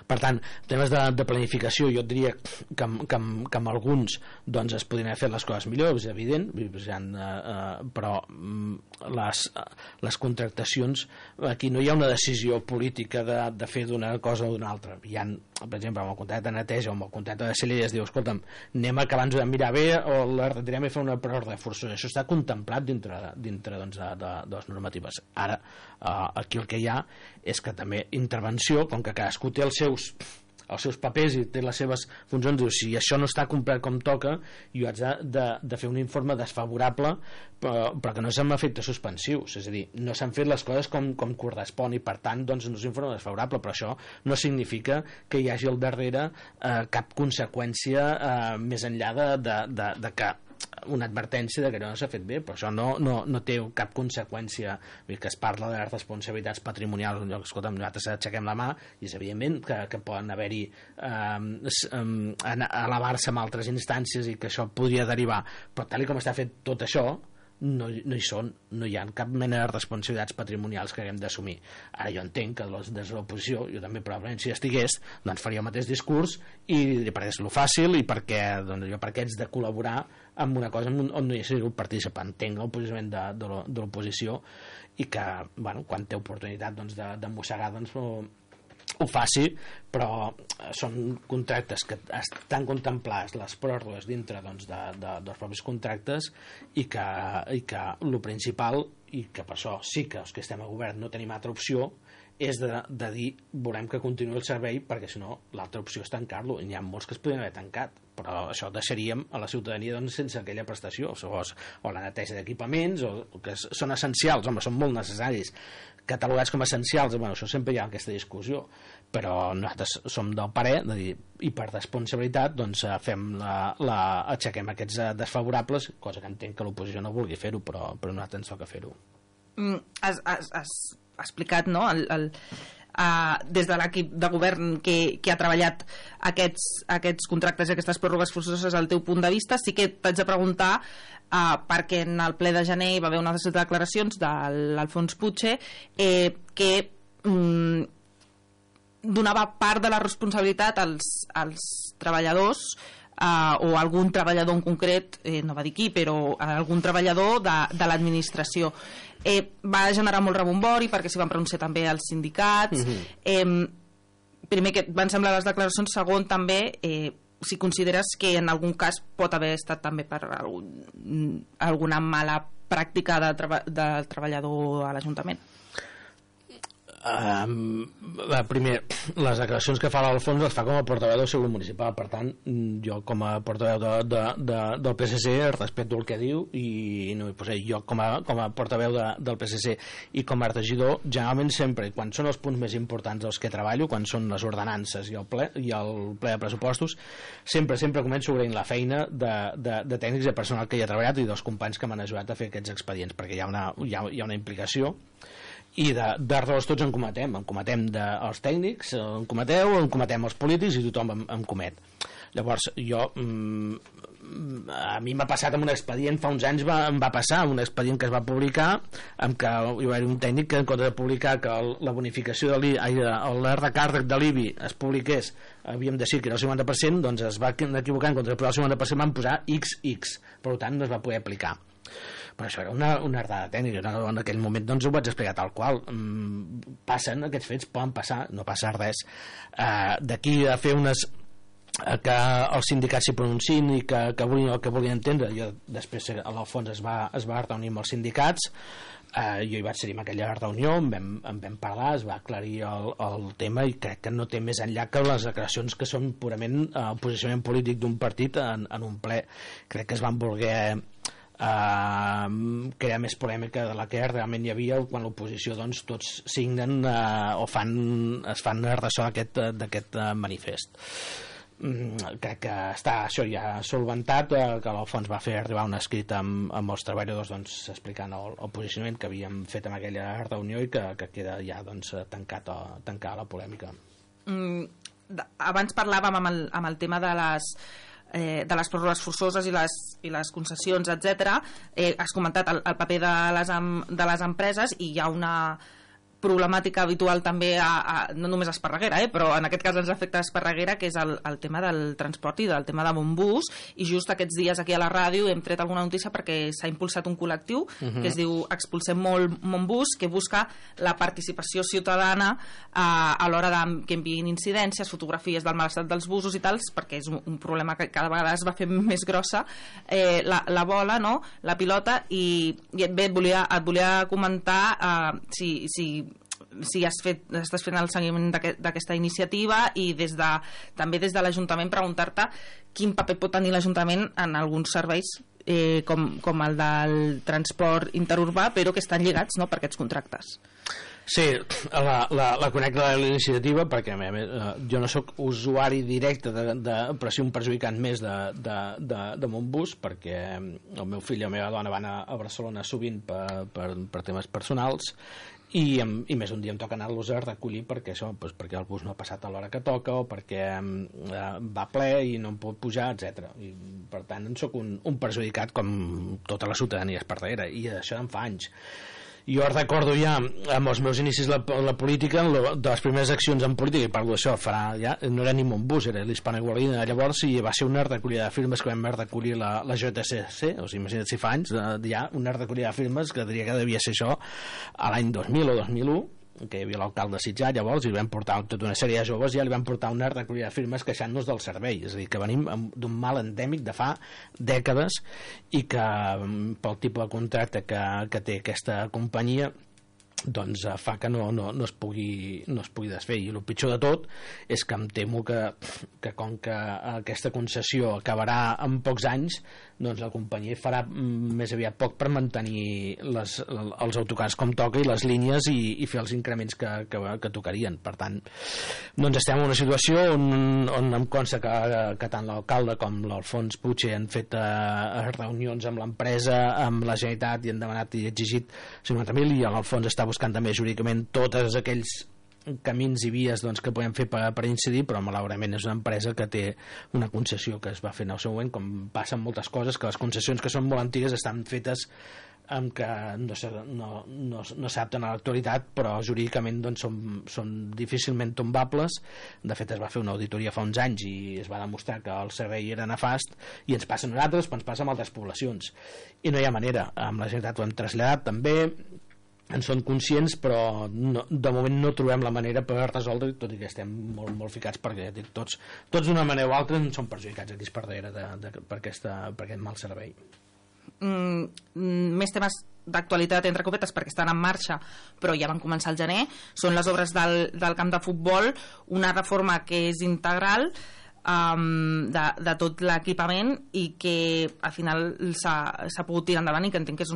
Q: Per tant, temes de planificació, jo et diria que amb alguns doncs es podrien haver fet les coses millor, és evident, però les contractacions, aquí no hi ha una decisió política de fer d'una cosa o d'una altra. Hi ha, per exemple, amb el contracte de neteja o amb el contracte de celleria es diu, escolta'm, anem a que abans de mirar bé o la retirem i fer una pròrroga forçosa. Això està contemplat dintre doncs, de les normatives. Ara, aquí el que hi ha és que també intervenció, com que cadascú té els seus papers i té les seves funcions, diu, si això no està complert com toca, jo haig de fer un informe desfavorable, però que no és amb efectes suspensius, és a dir, no s'han fet les coses com correspon, i per tant doncs, no és un informe desfavorable, però això no significa que hi hagi al darrere cap conseqüència més enllà de que una advertència de que no s'ha fet bé, però això no té cap conseqüència. Que es parla de les responsabilitats patrimonials, escolta'm, nosaltres aixequem la mà i és evidentment que poden haver-hi elevar-se amb altres instàncies i que això podria derivar, però tal com està fet tot això no hi ha cap mena de responsabilitats patrimonials que haguem d'assumir. Ara jo entenc que des de l'oposició, jo també probablement si estigués, doncs faria el mateix discurs i perquè és lo fàcil i perquè haig de col·laborar amb una cosa on no hi hagi un participant. Entenc el posicionament de l'oposició i que, bueno, quan té oportunitat doncs, de mossegar, doncs ho faci, però són contractes que estan contemplats les pròrrogues dintre doncs, dels propis contractes i que el principal, i que per això sí que els que estem a govern no tenim altra opció, és de dir volem que continuï el servei, perquè si no l'altra opció és tancar-lo, i n'hi ha molts que es podrien haver tancat, però això deixaríem a la ciutadania doncs, sense aquella prestació, o la neteja d'equipaments, o que són essencials, home, són molt necessaris, catalogats com essencials, bueno, això sempre hi ha aquesta discussió, però nosaltres som del parer de dir, i per responsabilitat doncs aixequem aquests desfavorables, cosa que entenc que l'oposició no vulgui fer-ho, però nosaltres ens toca fer-ho.
N: Has explicat, no?, des de l'equip de govern que ha treballat aquests contractes i aquestes pròrrogues forçoses, al teu punt de vista. Sí que t'haig de preguntar, perquè en el ple de gener hi va haver unes declaracions de l'Alfons Puig que donava part de la responsabilitat als treballadors o algun treballador en concret, no va dir qui, però algun treballador de l'administració. Va generar molt rebombori perquè s'hi van pronunciar també els sindicats. Primer, que van semblar les declaracions. Segon, també si consideres que en algun cas pot haver estat també per alguna mala pràctica del treballador a l'Ajuntament.
Q: Primer, les declaracions que fa l'Alfons les fa com a portaveu del seu grup municipal, per tant jo com a portaveu del PSC respeto el que diu i no m'hi posaré. Jo com a portaveu del PSC i com a regidor, generalment sempre, quan són els punts més importants dels que treballo, quan són les ordenances i el ple de pressupostos, sempre començo agraint la feina de tècnics i de personal que hi ha treballat i dels companys que m'han ajudat a fer aquests expedients, perquè hi ha una implicació i d'errors tots en cometem els tècnics, en cometem els polítics i tothom en comet. Llavors jo a mi m'ha passat amb un expedient fa uns anys, em va passar un expedient que es va publicar en què hi va haver un tècnic que en compte de publicar que la bonificació l'recàrrec de l'IBI es publiqués, havíem de dir que era el 50%, doncs es va equivocar, en compte de posar el 50% van posar XX, per tant no es va poder aplicar. Però això era una ardada tècnica, en aquell moment doncs ho vaig explicar tal qual. Passen aquests fets, poden passar, no passa res. D'aquí a fer que els sindicats s'hi pronunciïn i que vulguin entendre. Jo després a l'Alfons es va reunir amb els sindicats, jo hi vaig ser en aquella reunió, en vam parlar, es va aclarir el tema i crec que no té més enllà que les declaracions que són purament el posicionament polític d'un partit en un ple. Crec que es van voler crear més polèmica de la que realment hi havia quan l'oposició doncs tots signen o es fan ressò d'aquest manifest. Crec que està això ja solventat, que l'Alfons va fer arribar un escrit amb els treballadors doncs, explicant el posicionament que havíem fet en aquella reunió i que queda ja doncs, tancar la polèmica.
N: Abans parlàvem amb el tema de les pròrrogues forçoses i les concessions, etc. Has comentat el paper de les empreses i hi ha una problemàtica habitual també no només a Esparreguera, però en aquest cas ens afecta a Esparreguera, que és el tema del transport i del tema de Montbus, i just aquests dies aquí a la ràdio hem tret alguna notícia perquè s'ha impulsat un col·lectiu que es diu Expulsem Montbus, que busca la participació ciutadana a l'hora que enviïn incidències, fotografies del mal estat dels busos i tals, perquè és un problema que cada vegada es va fer més grossa la bola, no? La pilota, i bé, et volia comentar si estàs fent el seguiment d'aquesta iniciativa i també des de l'Ajuntament preguntar-te quin paper pot tenir l'Ajuntament en alguns serveis com el del transport interurbà, però que estan lligats per aquests contractes.
Q: Sí, la connecta de l'iniciativa perquè jo no sóc usuari directe però sí un perjudicant més de Montbus, perquè el meu fill i la meva dona van a Barcelona sovint per temes personals i més un dia em toca anar-los a recollir perquè el bus no ha passat a l'hora que toca o perquè va ple i no em pot pujar, etc. I per tant en soc un perjudicat com tota la ciutadania esparreguera, i això en fa anys. Jo recordo ja amb els meus inicis la política, de les primeres accions en política, i parlo d'això, no era ni Montbus, era l'Hispano-Igualina llavors, i va ser una recollida de firmes que vam recollir la JCC, o sigui, imagina't si fa anys, ja una recollida de firmes que diria que devia ser això a l'any 2000 o 2001, que hi havia l'alcalde de Sitjar llavors, i li vam portar tota una sèrie de joves, ja li vam portar una recollida de firmes queixant-nos del servei, és a dir, que venim d'un mal endèmic de fa dècades i que pel tipus de contracte que té aquesta companyia doncs fa que no es pugui desfer, i el pitjor de tot és que em temo que com que aquesta concessió acabarà en pocs anys, doncs la companyia farà més aviat poc per mantenir els autocars com toca i les línies i fer els increments que tocarien. Per tant, doncs estem en una situació on em consta que tant l'alcalde com l'Alfons Puig han fet reunions amb l'empresa, amb la Generalitat, i han demanat i exigit 50.000, i l'Alfons està buscant també jurídicament tots aquells camins i vies que podem fer per incidir, però malauradament és una empresa que té una concessió que es va fer en el seu moment, com passa amb moltes coses, que les concessions que són molt antigues estan fetes amb que no s'adapten a l'actualitat, però jurídicament són difícilment tombables. De fet, es va fer una auditoria fa uns anys i es va demostrar que el servei era nefast, i ens passa a nosaltres, però ens passa amb altres poblacions, i no hi ha manera. Amb la Generalitat ho hem traslladat també, en són conscients, però de moment no trobem la manera per resoldre, tot i que estem molt ficats, perquè tots d'una manera o altra són perjudicats aquí per darrere per aquest mal servei.
N: Més temes d'actualitat entre copetes, perquè estan en marxa però ja van començar al gener, són les obres del camp de futbol, una reforma que és integral de tot l'equipament i que al final s'ha pogut tirar endavant, i que entenc que és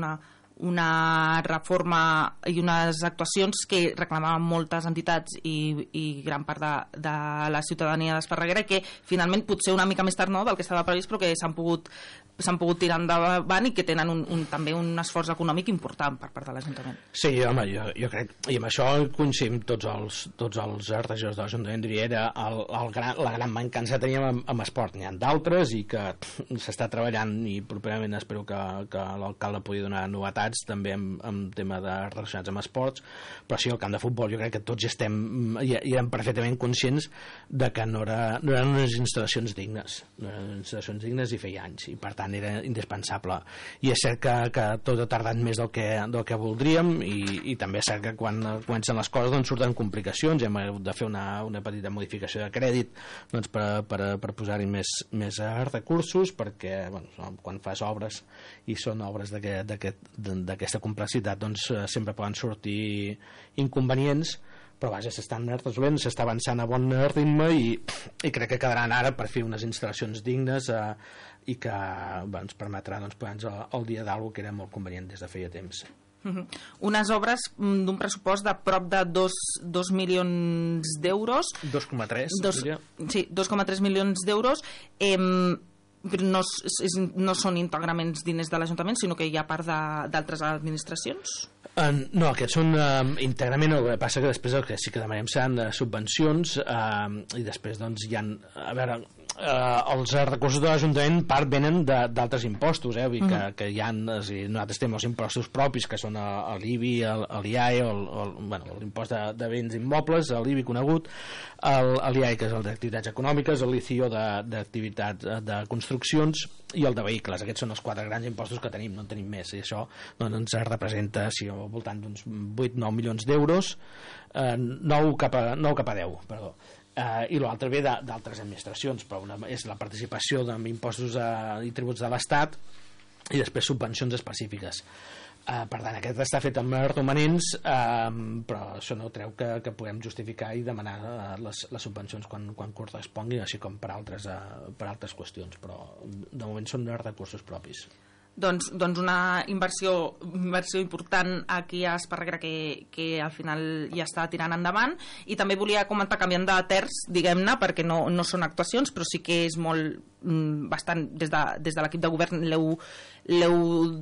N: una reforma i unes actuacions que reclamaven moltes entitats i gran part de la ciutadania d'Esparreguera, que finalment potser una mica més tard del que estava previst, però que s'han pogut tirar endavant i que tenen també un esforç econòmic important per part de l'Ajuntament.
Q: Sí, home, jo crec, i amb això coincidim tots els regidors de l'Ajuntament, diria, era la gran mancança que teníem amb esport. N'hi ha d'altres i que s'està treballant, i properament espero que l'alcalde pugui donar novetats també en tema relacionats amb esports, però sí, el camp de futbol jo crec que tots i érem perfectament conscients de que no eren unes instal·lacions dignes i feia anys, i per tant era indispensable. I és cert que tot ha tardat més del que voldríem, i també és cert que quan comencen les coses doncs surten complicacions, hem hagut de fer una petita modificació de crèdit doncs, per posar-hi més recursos, perquè quan fas obres i són obres d'aquesta complexitat doncs sempre poden sortir inconvenients, però vaja, s'estan resolent, s'està avançant a bon ritme i crec que quedaran ara per fer unes instal·lacions dignes i que ens permetrà posar-nos al dia d'alguna que era molt convenient des de feia temps.
N: Unes obres d'un pressupost de prop de 2 milions d'euros.
Q: 2,3.
N: Sí, 2,3 milions d'euros. No són íntegrament diners de l'Ajuntament, sinó que hi ha part d'altres administracions?
Q: No, aquests són íntegrament. El que passa que després el que sí que demanem seran subvencions, i després doncs hi ha, a veure, els recursos de l'Ajuntament part venen d'altres impostos, que hi ha, nosaltres tenim els impostos propis, que són l'IBI, l'IAE, l'impost de béns immobles, l'IBI conegut, l'IAE, que és el d'activitats econòmiques, l'ICIO d'activitats de construccions, i el de vehicles. Aquests són els 4 grans impostos que tenim, no en tenim més, i això ens representa al voltant d'uns 8-9 milions d'euros, 9 cap a 10, perdó. I l'altre ve d'altres administracions, però una és la participació en impostos i tributs de l'Estat i després subvencions específiques. Per tant, aquest està fet amb romanents, però això no treu que puguem justificar i demanar les subvencions quan correspongui, així com per altres qüestions, però de moment són de recursos propis.
N: Doncs una inversió important aquí a Esparreguera que al final ja està tirant endavant. I també volia comentar, canviant de terç, diguem-ne, perquè no són actuacions, però sí que és bastant, des de l'equip de govern l'heu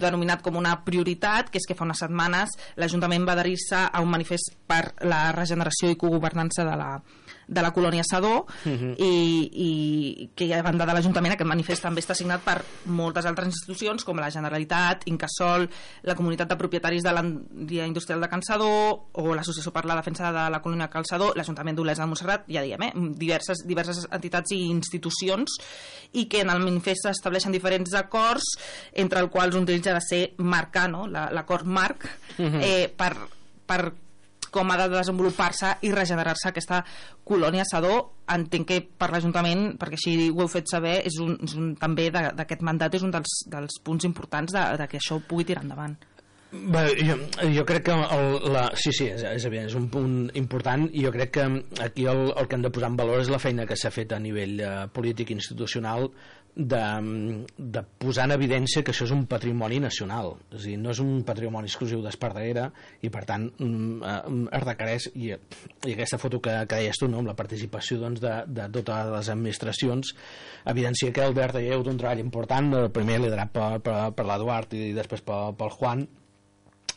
N: denominat com una prioritat, que és que fa unes setmanes l'Ajuntament va adherir-se a un manifest per la regeneració i cogovernança de la colònia Sadó, i que a banda de l'Ajuntament aquest manifest també està signat per moltes altres institucions com la Generalitat, Incasòl, la Comunitat de Propietaris de l'Àrea Industrial de Can Sadó o l'Associació per la Defensa de la Colònia Cal Sadó, l'Ajuntament d'Olesa de Montserrat, ja diguem, diverses entitats i institucions, i que en el manifest s'estableixen diferents acords, entre els quals un d'ells ha de ser marcar, l'acord marc, per com ha de desenvolupar-se i regenerar-se aquesta colònia Sadó. Entenc que per l'Ajuntament, perquè així ho heu fet saber, també d'aquest mandat és un dels punts importants de que això pugui tirar endavant.
Q: Bé, jo crec que sí, és evident, és un punt important, i jo crec que aquí el que hem de posar en valor és la feina que s'ha fet a nivell polític i institucional de posar en evidència que això és un patrimoni nacional, és a dir, no és un patrimoni exclusiu d'Esparreguera, i per tant es requereix, i aquesta foto que deies tu, amb la participació de totes les administracions, evidencia que el DRD ha un treball important, primer liderat per l'Eduard i després pel Juan,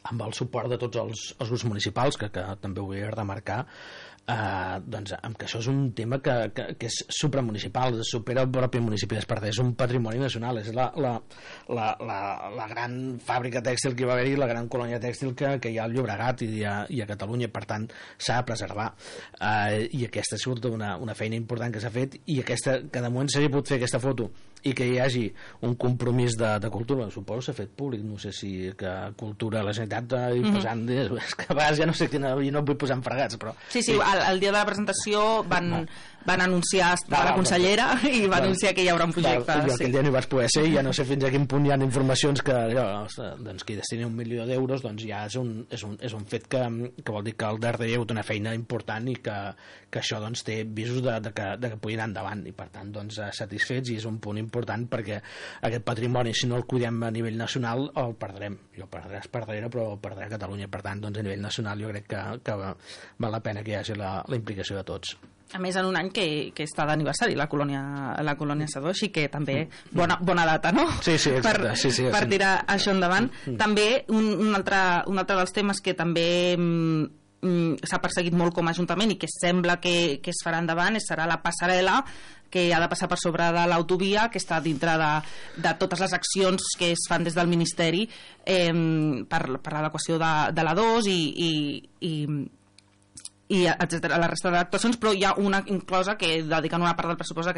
Q: amb el suport de tots els grups municipals, que també ho vull remarcar, doncs amb que això és un tema que és supramunicipal, supera el propi municipi d'Esparreguera, és un patrimoni nacional, és la gran fàbrica tèxtil que hi va haver-hi, la gran colònia tèxtil que hi ha al Llobregat i a Catalunya, per tant s'ha de preservar, i aquesta ha sigut una feina important que s'ha fet, i que de moment s'hagi pogut fer aquesta foto i que hi hagi un compromís de cultura, suposo s'ha fet públic, no sé si que cultura, la Generalitat posant, és que a vegades ja no sé quina, i no vull posar en fregats, però
N: sí, el dia de la presentació van van anunciar la consellera i va anunciar que hi haurà un projecte.
Q: Jo aquell dia no hi vaig poder ser i ja no sé fins a quin punt hi ha informacions que doncs, qui destini 1 milió d'euros doncs ja és un fet que vol dir que al darrere hi ha hagut una feina important i que això doncs, té visos de que pugui anar endavant i per tant doncs, satisfets, i és un punt important perquè aquest patrimoni, si no el cuidem a nivell nacional, el perdrem. Jo perdré Esparreguera, però el perdré a Catalunya. Per tant, doncs, a nivell nacional jo crec que val la pena que hi hagi la implicació de tots.
N: A més, en un any que està d'aniversari la colònia Sedó, així que també bona data, no?
Q: Sí, exacte.
N: Per tirar això endavant. També un altre dels temes que també s'ha perseguit molt com a Ajuntament i que sembla que es farà endavant serà la passarel·la que ha de passar per sobre de l'autovia, que està dintre de totes les accions que es fan des del Ministeri per l'adequació de la 2 i etcètera, la resta d'actuacions, però hi ha una inclosa que dediquen una part del pressupost a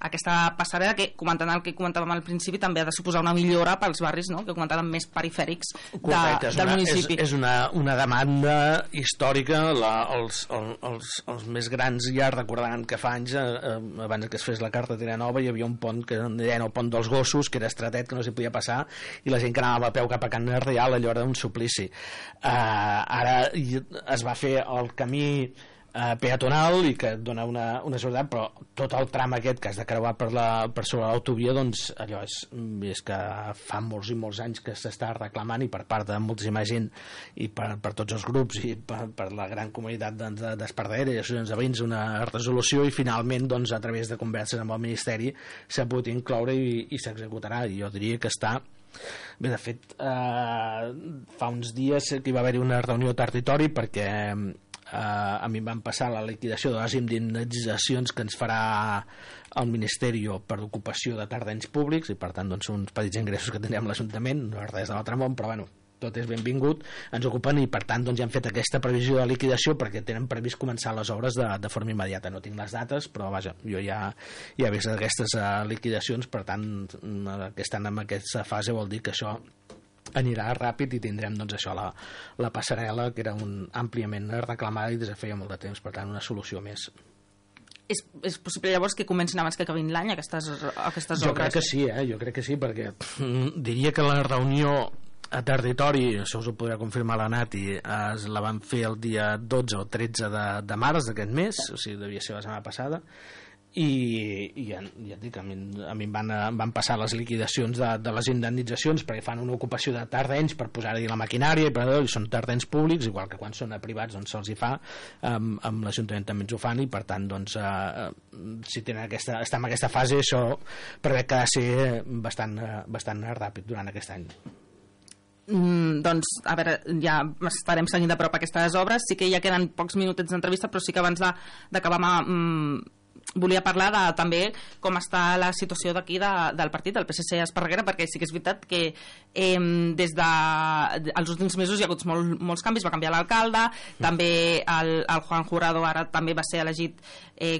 N: aquesta passarel·la que, comentant el que comentàvem al principi, també ha de suposar una millora pels barris, no?, que comentàvem més perifèrics del municipi.
Q: És una demanda històrica. Els més grans ja recordaran que fa anys, abans que es fes la carretera nova, hi havia un pont que deien el pont dels gossos, que era estretet, que no s'hi podia passar, i la gent que anava a peu cap a Can Real, allò era un suplici. Ara es va fer el camí peatonal i que dona una seguretat, però tot el tram aquest que has de creuar per sobre l'autovia, doncs allò és que fa molts i molts anys que s'està reclamant, i per part de moltíssima gent i per tots els grups i per la gran comunitat d'Esparreguera i associacions de veïns, una resolució, i finalment doncs, a través de converses amb el Ministeri s'ha pogut incloure i s'executarà, i jo diria que està bé. De fet, fa uns dies que hi va haver una reunió a territori perquè a mi em van passar la liquidació de les indemnitzacions que ens farà el Ministeri per ocupació de terrenys públics, i per tant doncs, uns petits ingressos que tindrem a l'Ajuntament, no és res de l'altre món, però bueno, tot és benvingut, ens ocupen, i per tant doncs, ja han fet aquesta previsió de liquidació perquè tenen previst començar les obres de forma immediata. No tinc les dates, però vaja, jo ja he vist aquestes liquidacions, per tant que estan en aquesta fase vol dir que això anirà ràpid i tindrem doncs això, la passarel·la, que era àmpliament reclamada i des de feia molt de temps, per tant una solució més.
N: És possible llavors que comencin abans que acabin l'any aquestes obres?
Q: Jo crec que sí, jo crec que sí, perquè diria que la reunió a territori, això us ho podrà confirmar la Nati, la van fer el dia 12 o 13 de març d'aquest mes, o sigui, devia ser la setmana passada, i ja et dic, a mi em van passar les liquidacions de les indemnitzacions perquè fan una ocupació de terrenys per posar-hi la maquinària, i són terrenys públics, igual que quan són a privats doncs se'ls hi fa, amb l'Ajuntament també ens ho fan, i per tant doncs, si està en aquesta fase, això preveu que ha de ser bastant ràpid durant aquest any.
N: Doncs, a veure, ja estarem seguint de prop aquestes obres. Sí que ja queden pocs minutets d'entrevista, però sí que abans d'acabar volia parlar també com està la situació d'aquí del partit, del PSC a Esparreguera, perquè sí que és veritat que des dels últims mesos hi ha hagut molts canvis. Va canviar l'alcalde, també el Juan Jurado ara també va ser elegit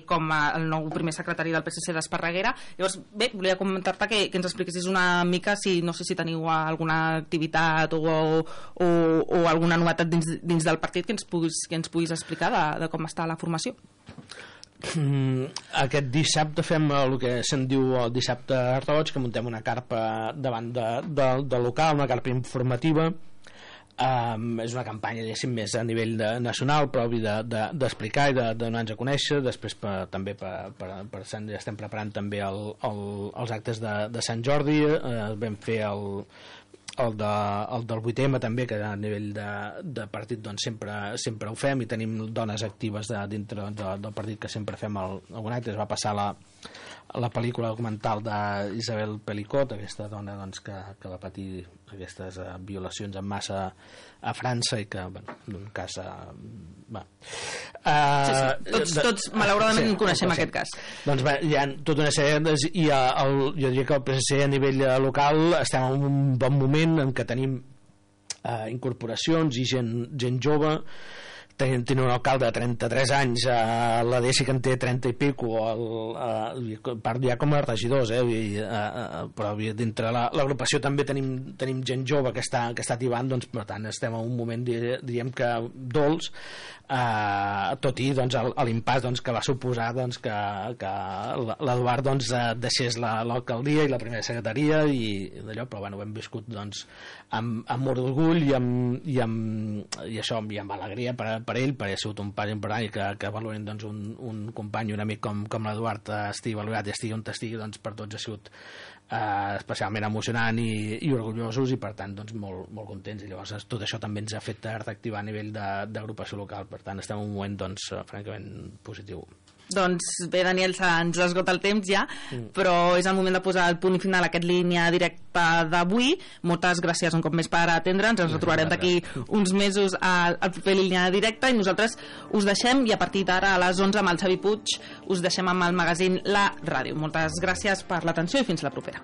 N: com el nou primer secretari del PSC d'Esparreguera. Llavors, bé, volia comentar-te que ens expliquessis una mica no sé si teniu alguna activitat o alguna novetat dins del partit que ens puguis explicar de com està la formació.
Q: Aquest dissabte fem el que se'n diu el dissabte roig, que muntem una carpa davant del local, una carpa informativa. És una campanya més a nivell nacional, però d'explicar i de donar-nos a conèixer. Després també ja estem preparant també els actes de Sant Jordi. Vam fer el del 8M també, que a nivell de partit doncs sempre ho fem, i tenim dones actives dintre del partit que sempre fem algun acte. Es va passar la pel·lícula documental d'Isabel Pelicot, aquesta dona doncs, que va patir aquestes violacions en massa a França, i que, en un cas
N: tots malauradament coneixem aquest cas.
Q: Doncs hi ha tota una sèrie, i jo diria que el PSC a nivell local estem en un bon moment en què tenim incorporacions i gent jove. tenint un alcalde de 33 anys, la Desi que en té 30 i pico, part ja com a regidors, però dintre l'agrupació també tenim gent jove que està tibant, doncs per tant estem en un moment, diríem que dolç, tot i doncs, l'impàs doncs, que va suposar doncs, que l'Eduard doncs, deixés l'alcaldia i la primera secretaria i d'allò, però bueno, ho hem viscut doncs, amb molt d'orgull i amb alegria per ell, perquè ha sigut un pas important i que valoren doncs, un company, un amic com l'Eduard estigui valorat i estigui on estigui, doncs, per tots ha sigut especialment emocionant i orgullosos i per tant doncs, molt contents, i llavors tot això també ens ha fet reactivar a nivell d'agrupació local, per tant estem en un moment doncs, francament positiu.
N: Doncs bé, Daniel, ens esgota el temps ja, però és el moment de posar el punt final a aquest línia directa d'avui. Moltes gràcies un cop més per atendre'ns, ens retrobarem d'aquí uns mesos al proper línia directa i nosaltres us deixem, i a partir d'ara a les 11 amb el Xavi Puig us deixem amb el magazín La Ràdio. Moltes gràcies per l'atenció i fins la propera.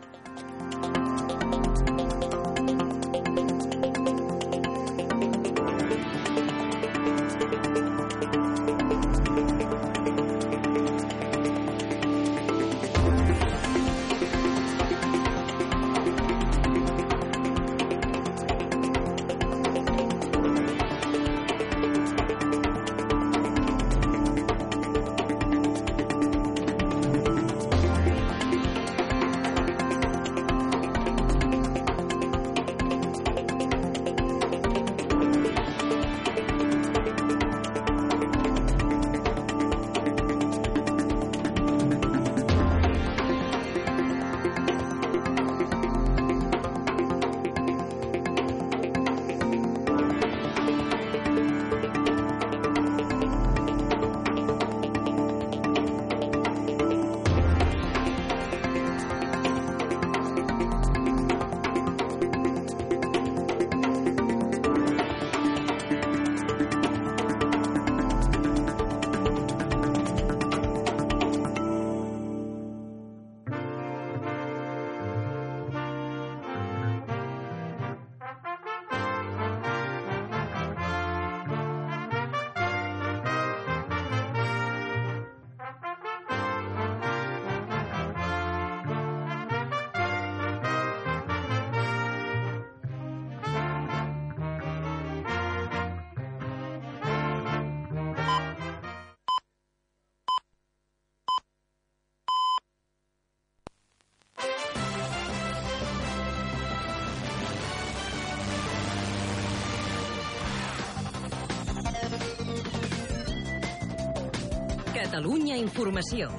I: Catalunya Informació.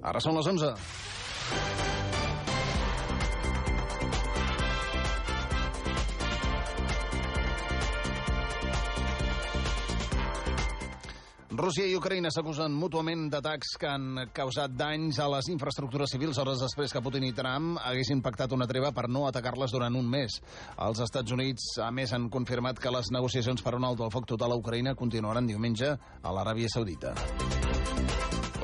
R: Ara són les 11. Rússia i Ucraïna s'acusen mútuament d'atacs que han causat danys a les infraestructures civils hores després que Putin i Trump haguessin pactat una treva per no atacar-les durant un mes. Els Estats Units, a més, han confirmat que les negociacions per un alto al foc total a Ucraïna continuaran diumenge a l'Aràbia Saudita.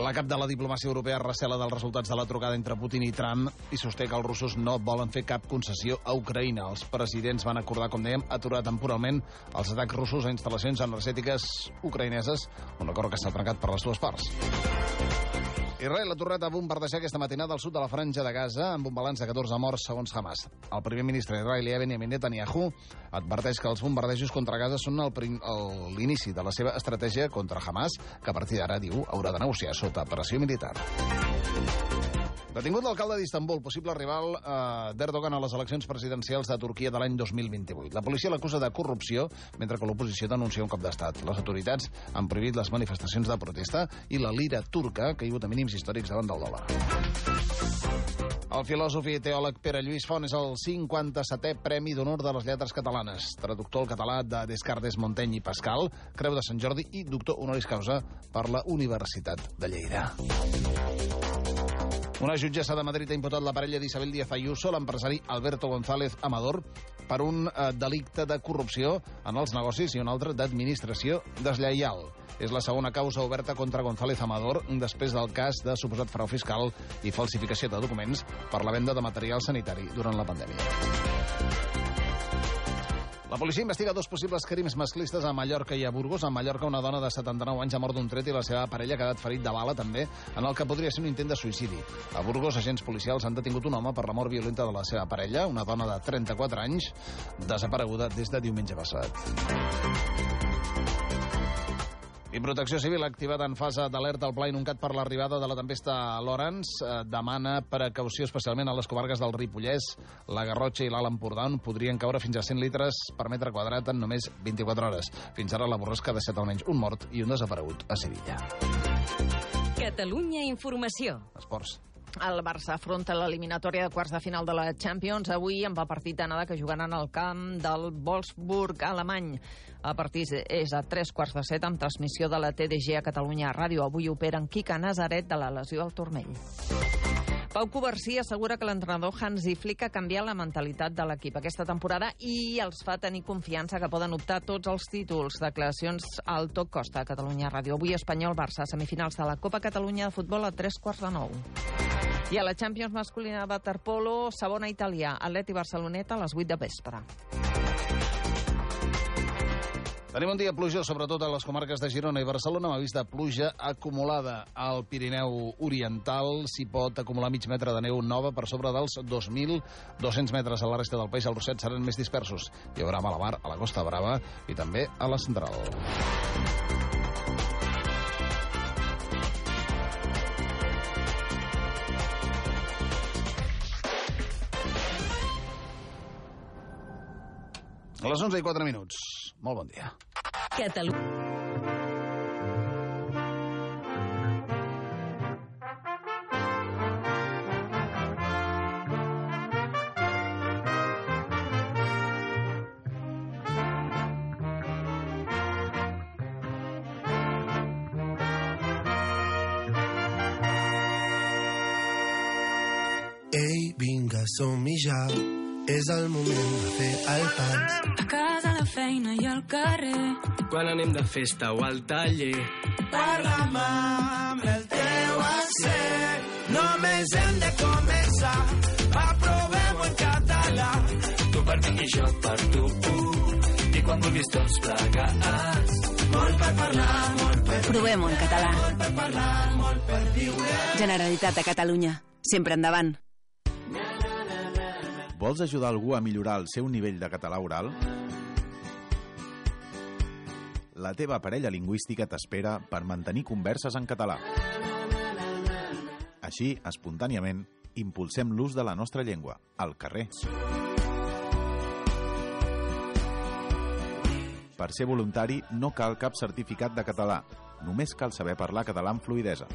R: La cap de la diplomàcia europea recela dels resultats de la trucada entre Putin i Trump i sosté que els russos no volen fer cap concessió a Ucraïna. Els presidents van acordar, com dèiem, aturar temporalment els atacs russos a instal·lacions energètiques ucraïneses, un acord que s'ha trencat per les dues parts. Israel ha tornat a bombardejar aquesta matinada al sud de la Franja de Gaza amb un balanç de 14 morts segons Hamas. El primer ministre israelià Benjamin Netanyahu adverteix que els bombardejos contra Gaza són l'inici de la seva estratègia contra Hamas, que a partir d'ara, diu, haurà de negociar sota pressió militar. Detingut l'alcalde d'Istanbul, possible rival d'Erdogan a les eleccions presidencials de Turquia de l'any 2028. La policia l'acusa de corrupció, mentre que l'oposició denuncia un cop d'estat. Les autoritats han prohibit les manifestacions de protesta i la lira turca ha caigut a mínims històrics davant del dòlar. El filòsof i teòleg Pere Lluís Font és el 57è Premi d'Honor de les Lletres Catalanes. Traductor al català de Descartes, Montaigne i Pascal, Creu de Sant Jordi i doctor honoris causa per la Universitat de Lleida. Una jutgessa de Madrid ha imputat la parella d'Isabel Díaz Ayuso, l'empresari Alberto González Amador, per un delicte de corrupció en els negocis i un altre d'administració deslleial. És la segona causa oberta contra González Amador després del cas de suposat frau fiscal i falsificació de documents per la venda de material sanitari durant la pandèmia. La policia investiga 2 possibles crims masclistes a Mallorca i a Burgos. A Mallorca, una dona de 79 anys ha mort d'un tret i la seva parella ha quedat ferit de bala, també, en el que podria ser un intent de suïcidi. A Burgos, agents policials han detingut un home per la mort violenta de la seva parella, una dona de 34 anys, desapareguda des de diumenge passat. I Protecció Civil ha activat en fase d'alerta al Pla Inuncat per l'arribada de la tempesta Lawrence. Demana precaució especialment a les comarques del Ripollès, la Garrotxa i l'Alt Empordà, on podrien caure fins a 100 litres per metre quadrat en només 24 hores. Fins ara la borrasca ha deixat almenys un mort i un desaparegut a Sevilla.
I: Catalunya Informació.
R: Esports.
H: El Barça afronta l'eliminatòria de quarts de final de la Champions avui amb el partit d'anada que jugaran al camp del Wolfsburg alemany. El partit és a 7:15 amb transmissió de la TDG a Catalunya Ràdio. Avui operen Quique Nazaret de la lesió al turmell. Pau Covarsí assegura que l'entrenador Hansi Flick ha canviat la mentalitat de l'equip aquesta temporada i els fa tenir confiança que poden optar tots els títols. Declaracions al Toc Costa a Catalunya Ràdio. Avui Espanyol-Barça, semifinals de la Copa Catalunya de futbol a 9:15. I a la Champions masculina de waterpolo, segona italià, Atleti Barceloneta a les 8 de vespre.
R: Tenim un dia plujós, sobretot a les comarques de Girona i Barcelona, amb avís de pluja acumulada. Al Pirineu Oriental s'hi pot acumular mig metre de neu nova per sobre dels 2.200 metres. A la resta del país els ruixats seran més dispersos. Hi haurà malabar a la Costa Brava i també a la Central. A les 11:04. Molt bon dia.
I: Catalunya.
S: Ei, vinga, som-hi ja. És el moment de fer el pas.
A: A casa, a la feina i al carrer.
S: Quan anem de festa o al taller. Parla'm amb el teu accent. Només hem de començar. Aprovem-ho en català. Tu per mi i jo per tu. I quan vulguis tots plegats. Molt per parlar, molt per...
T: Provem-ho en català.
S: Molt per parlar, molt per viure.
T: Generalitat de Catalunya. Sempre endavant.
K: Vols ajudar algú a millorar el seu nivell de català oral? La teva parella lingüística t'espera per mantenir converses en català. Així, espontàniament, impulsem l'ús de la nostra llengua, al carrer. Per ser voluntari no cal cap certificat de català, només cal saber parlar català amb fluïdesa.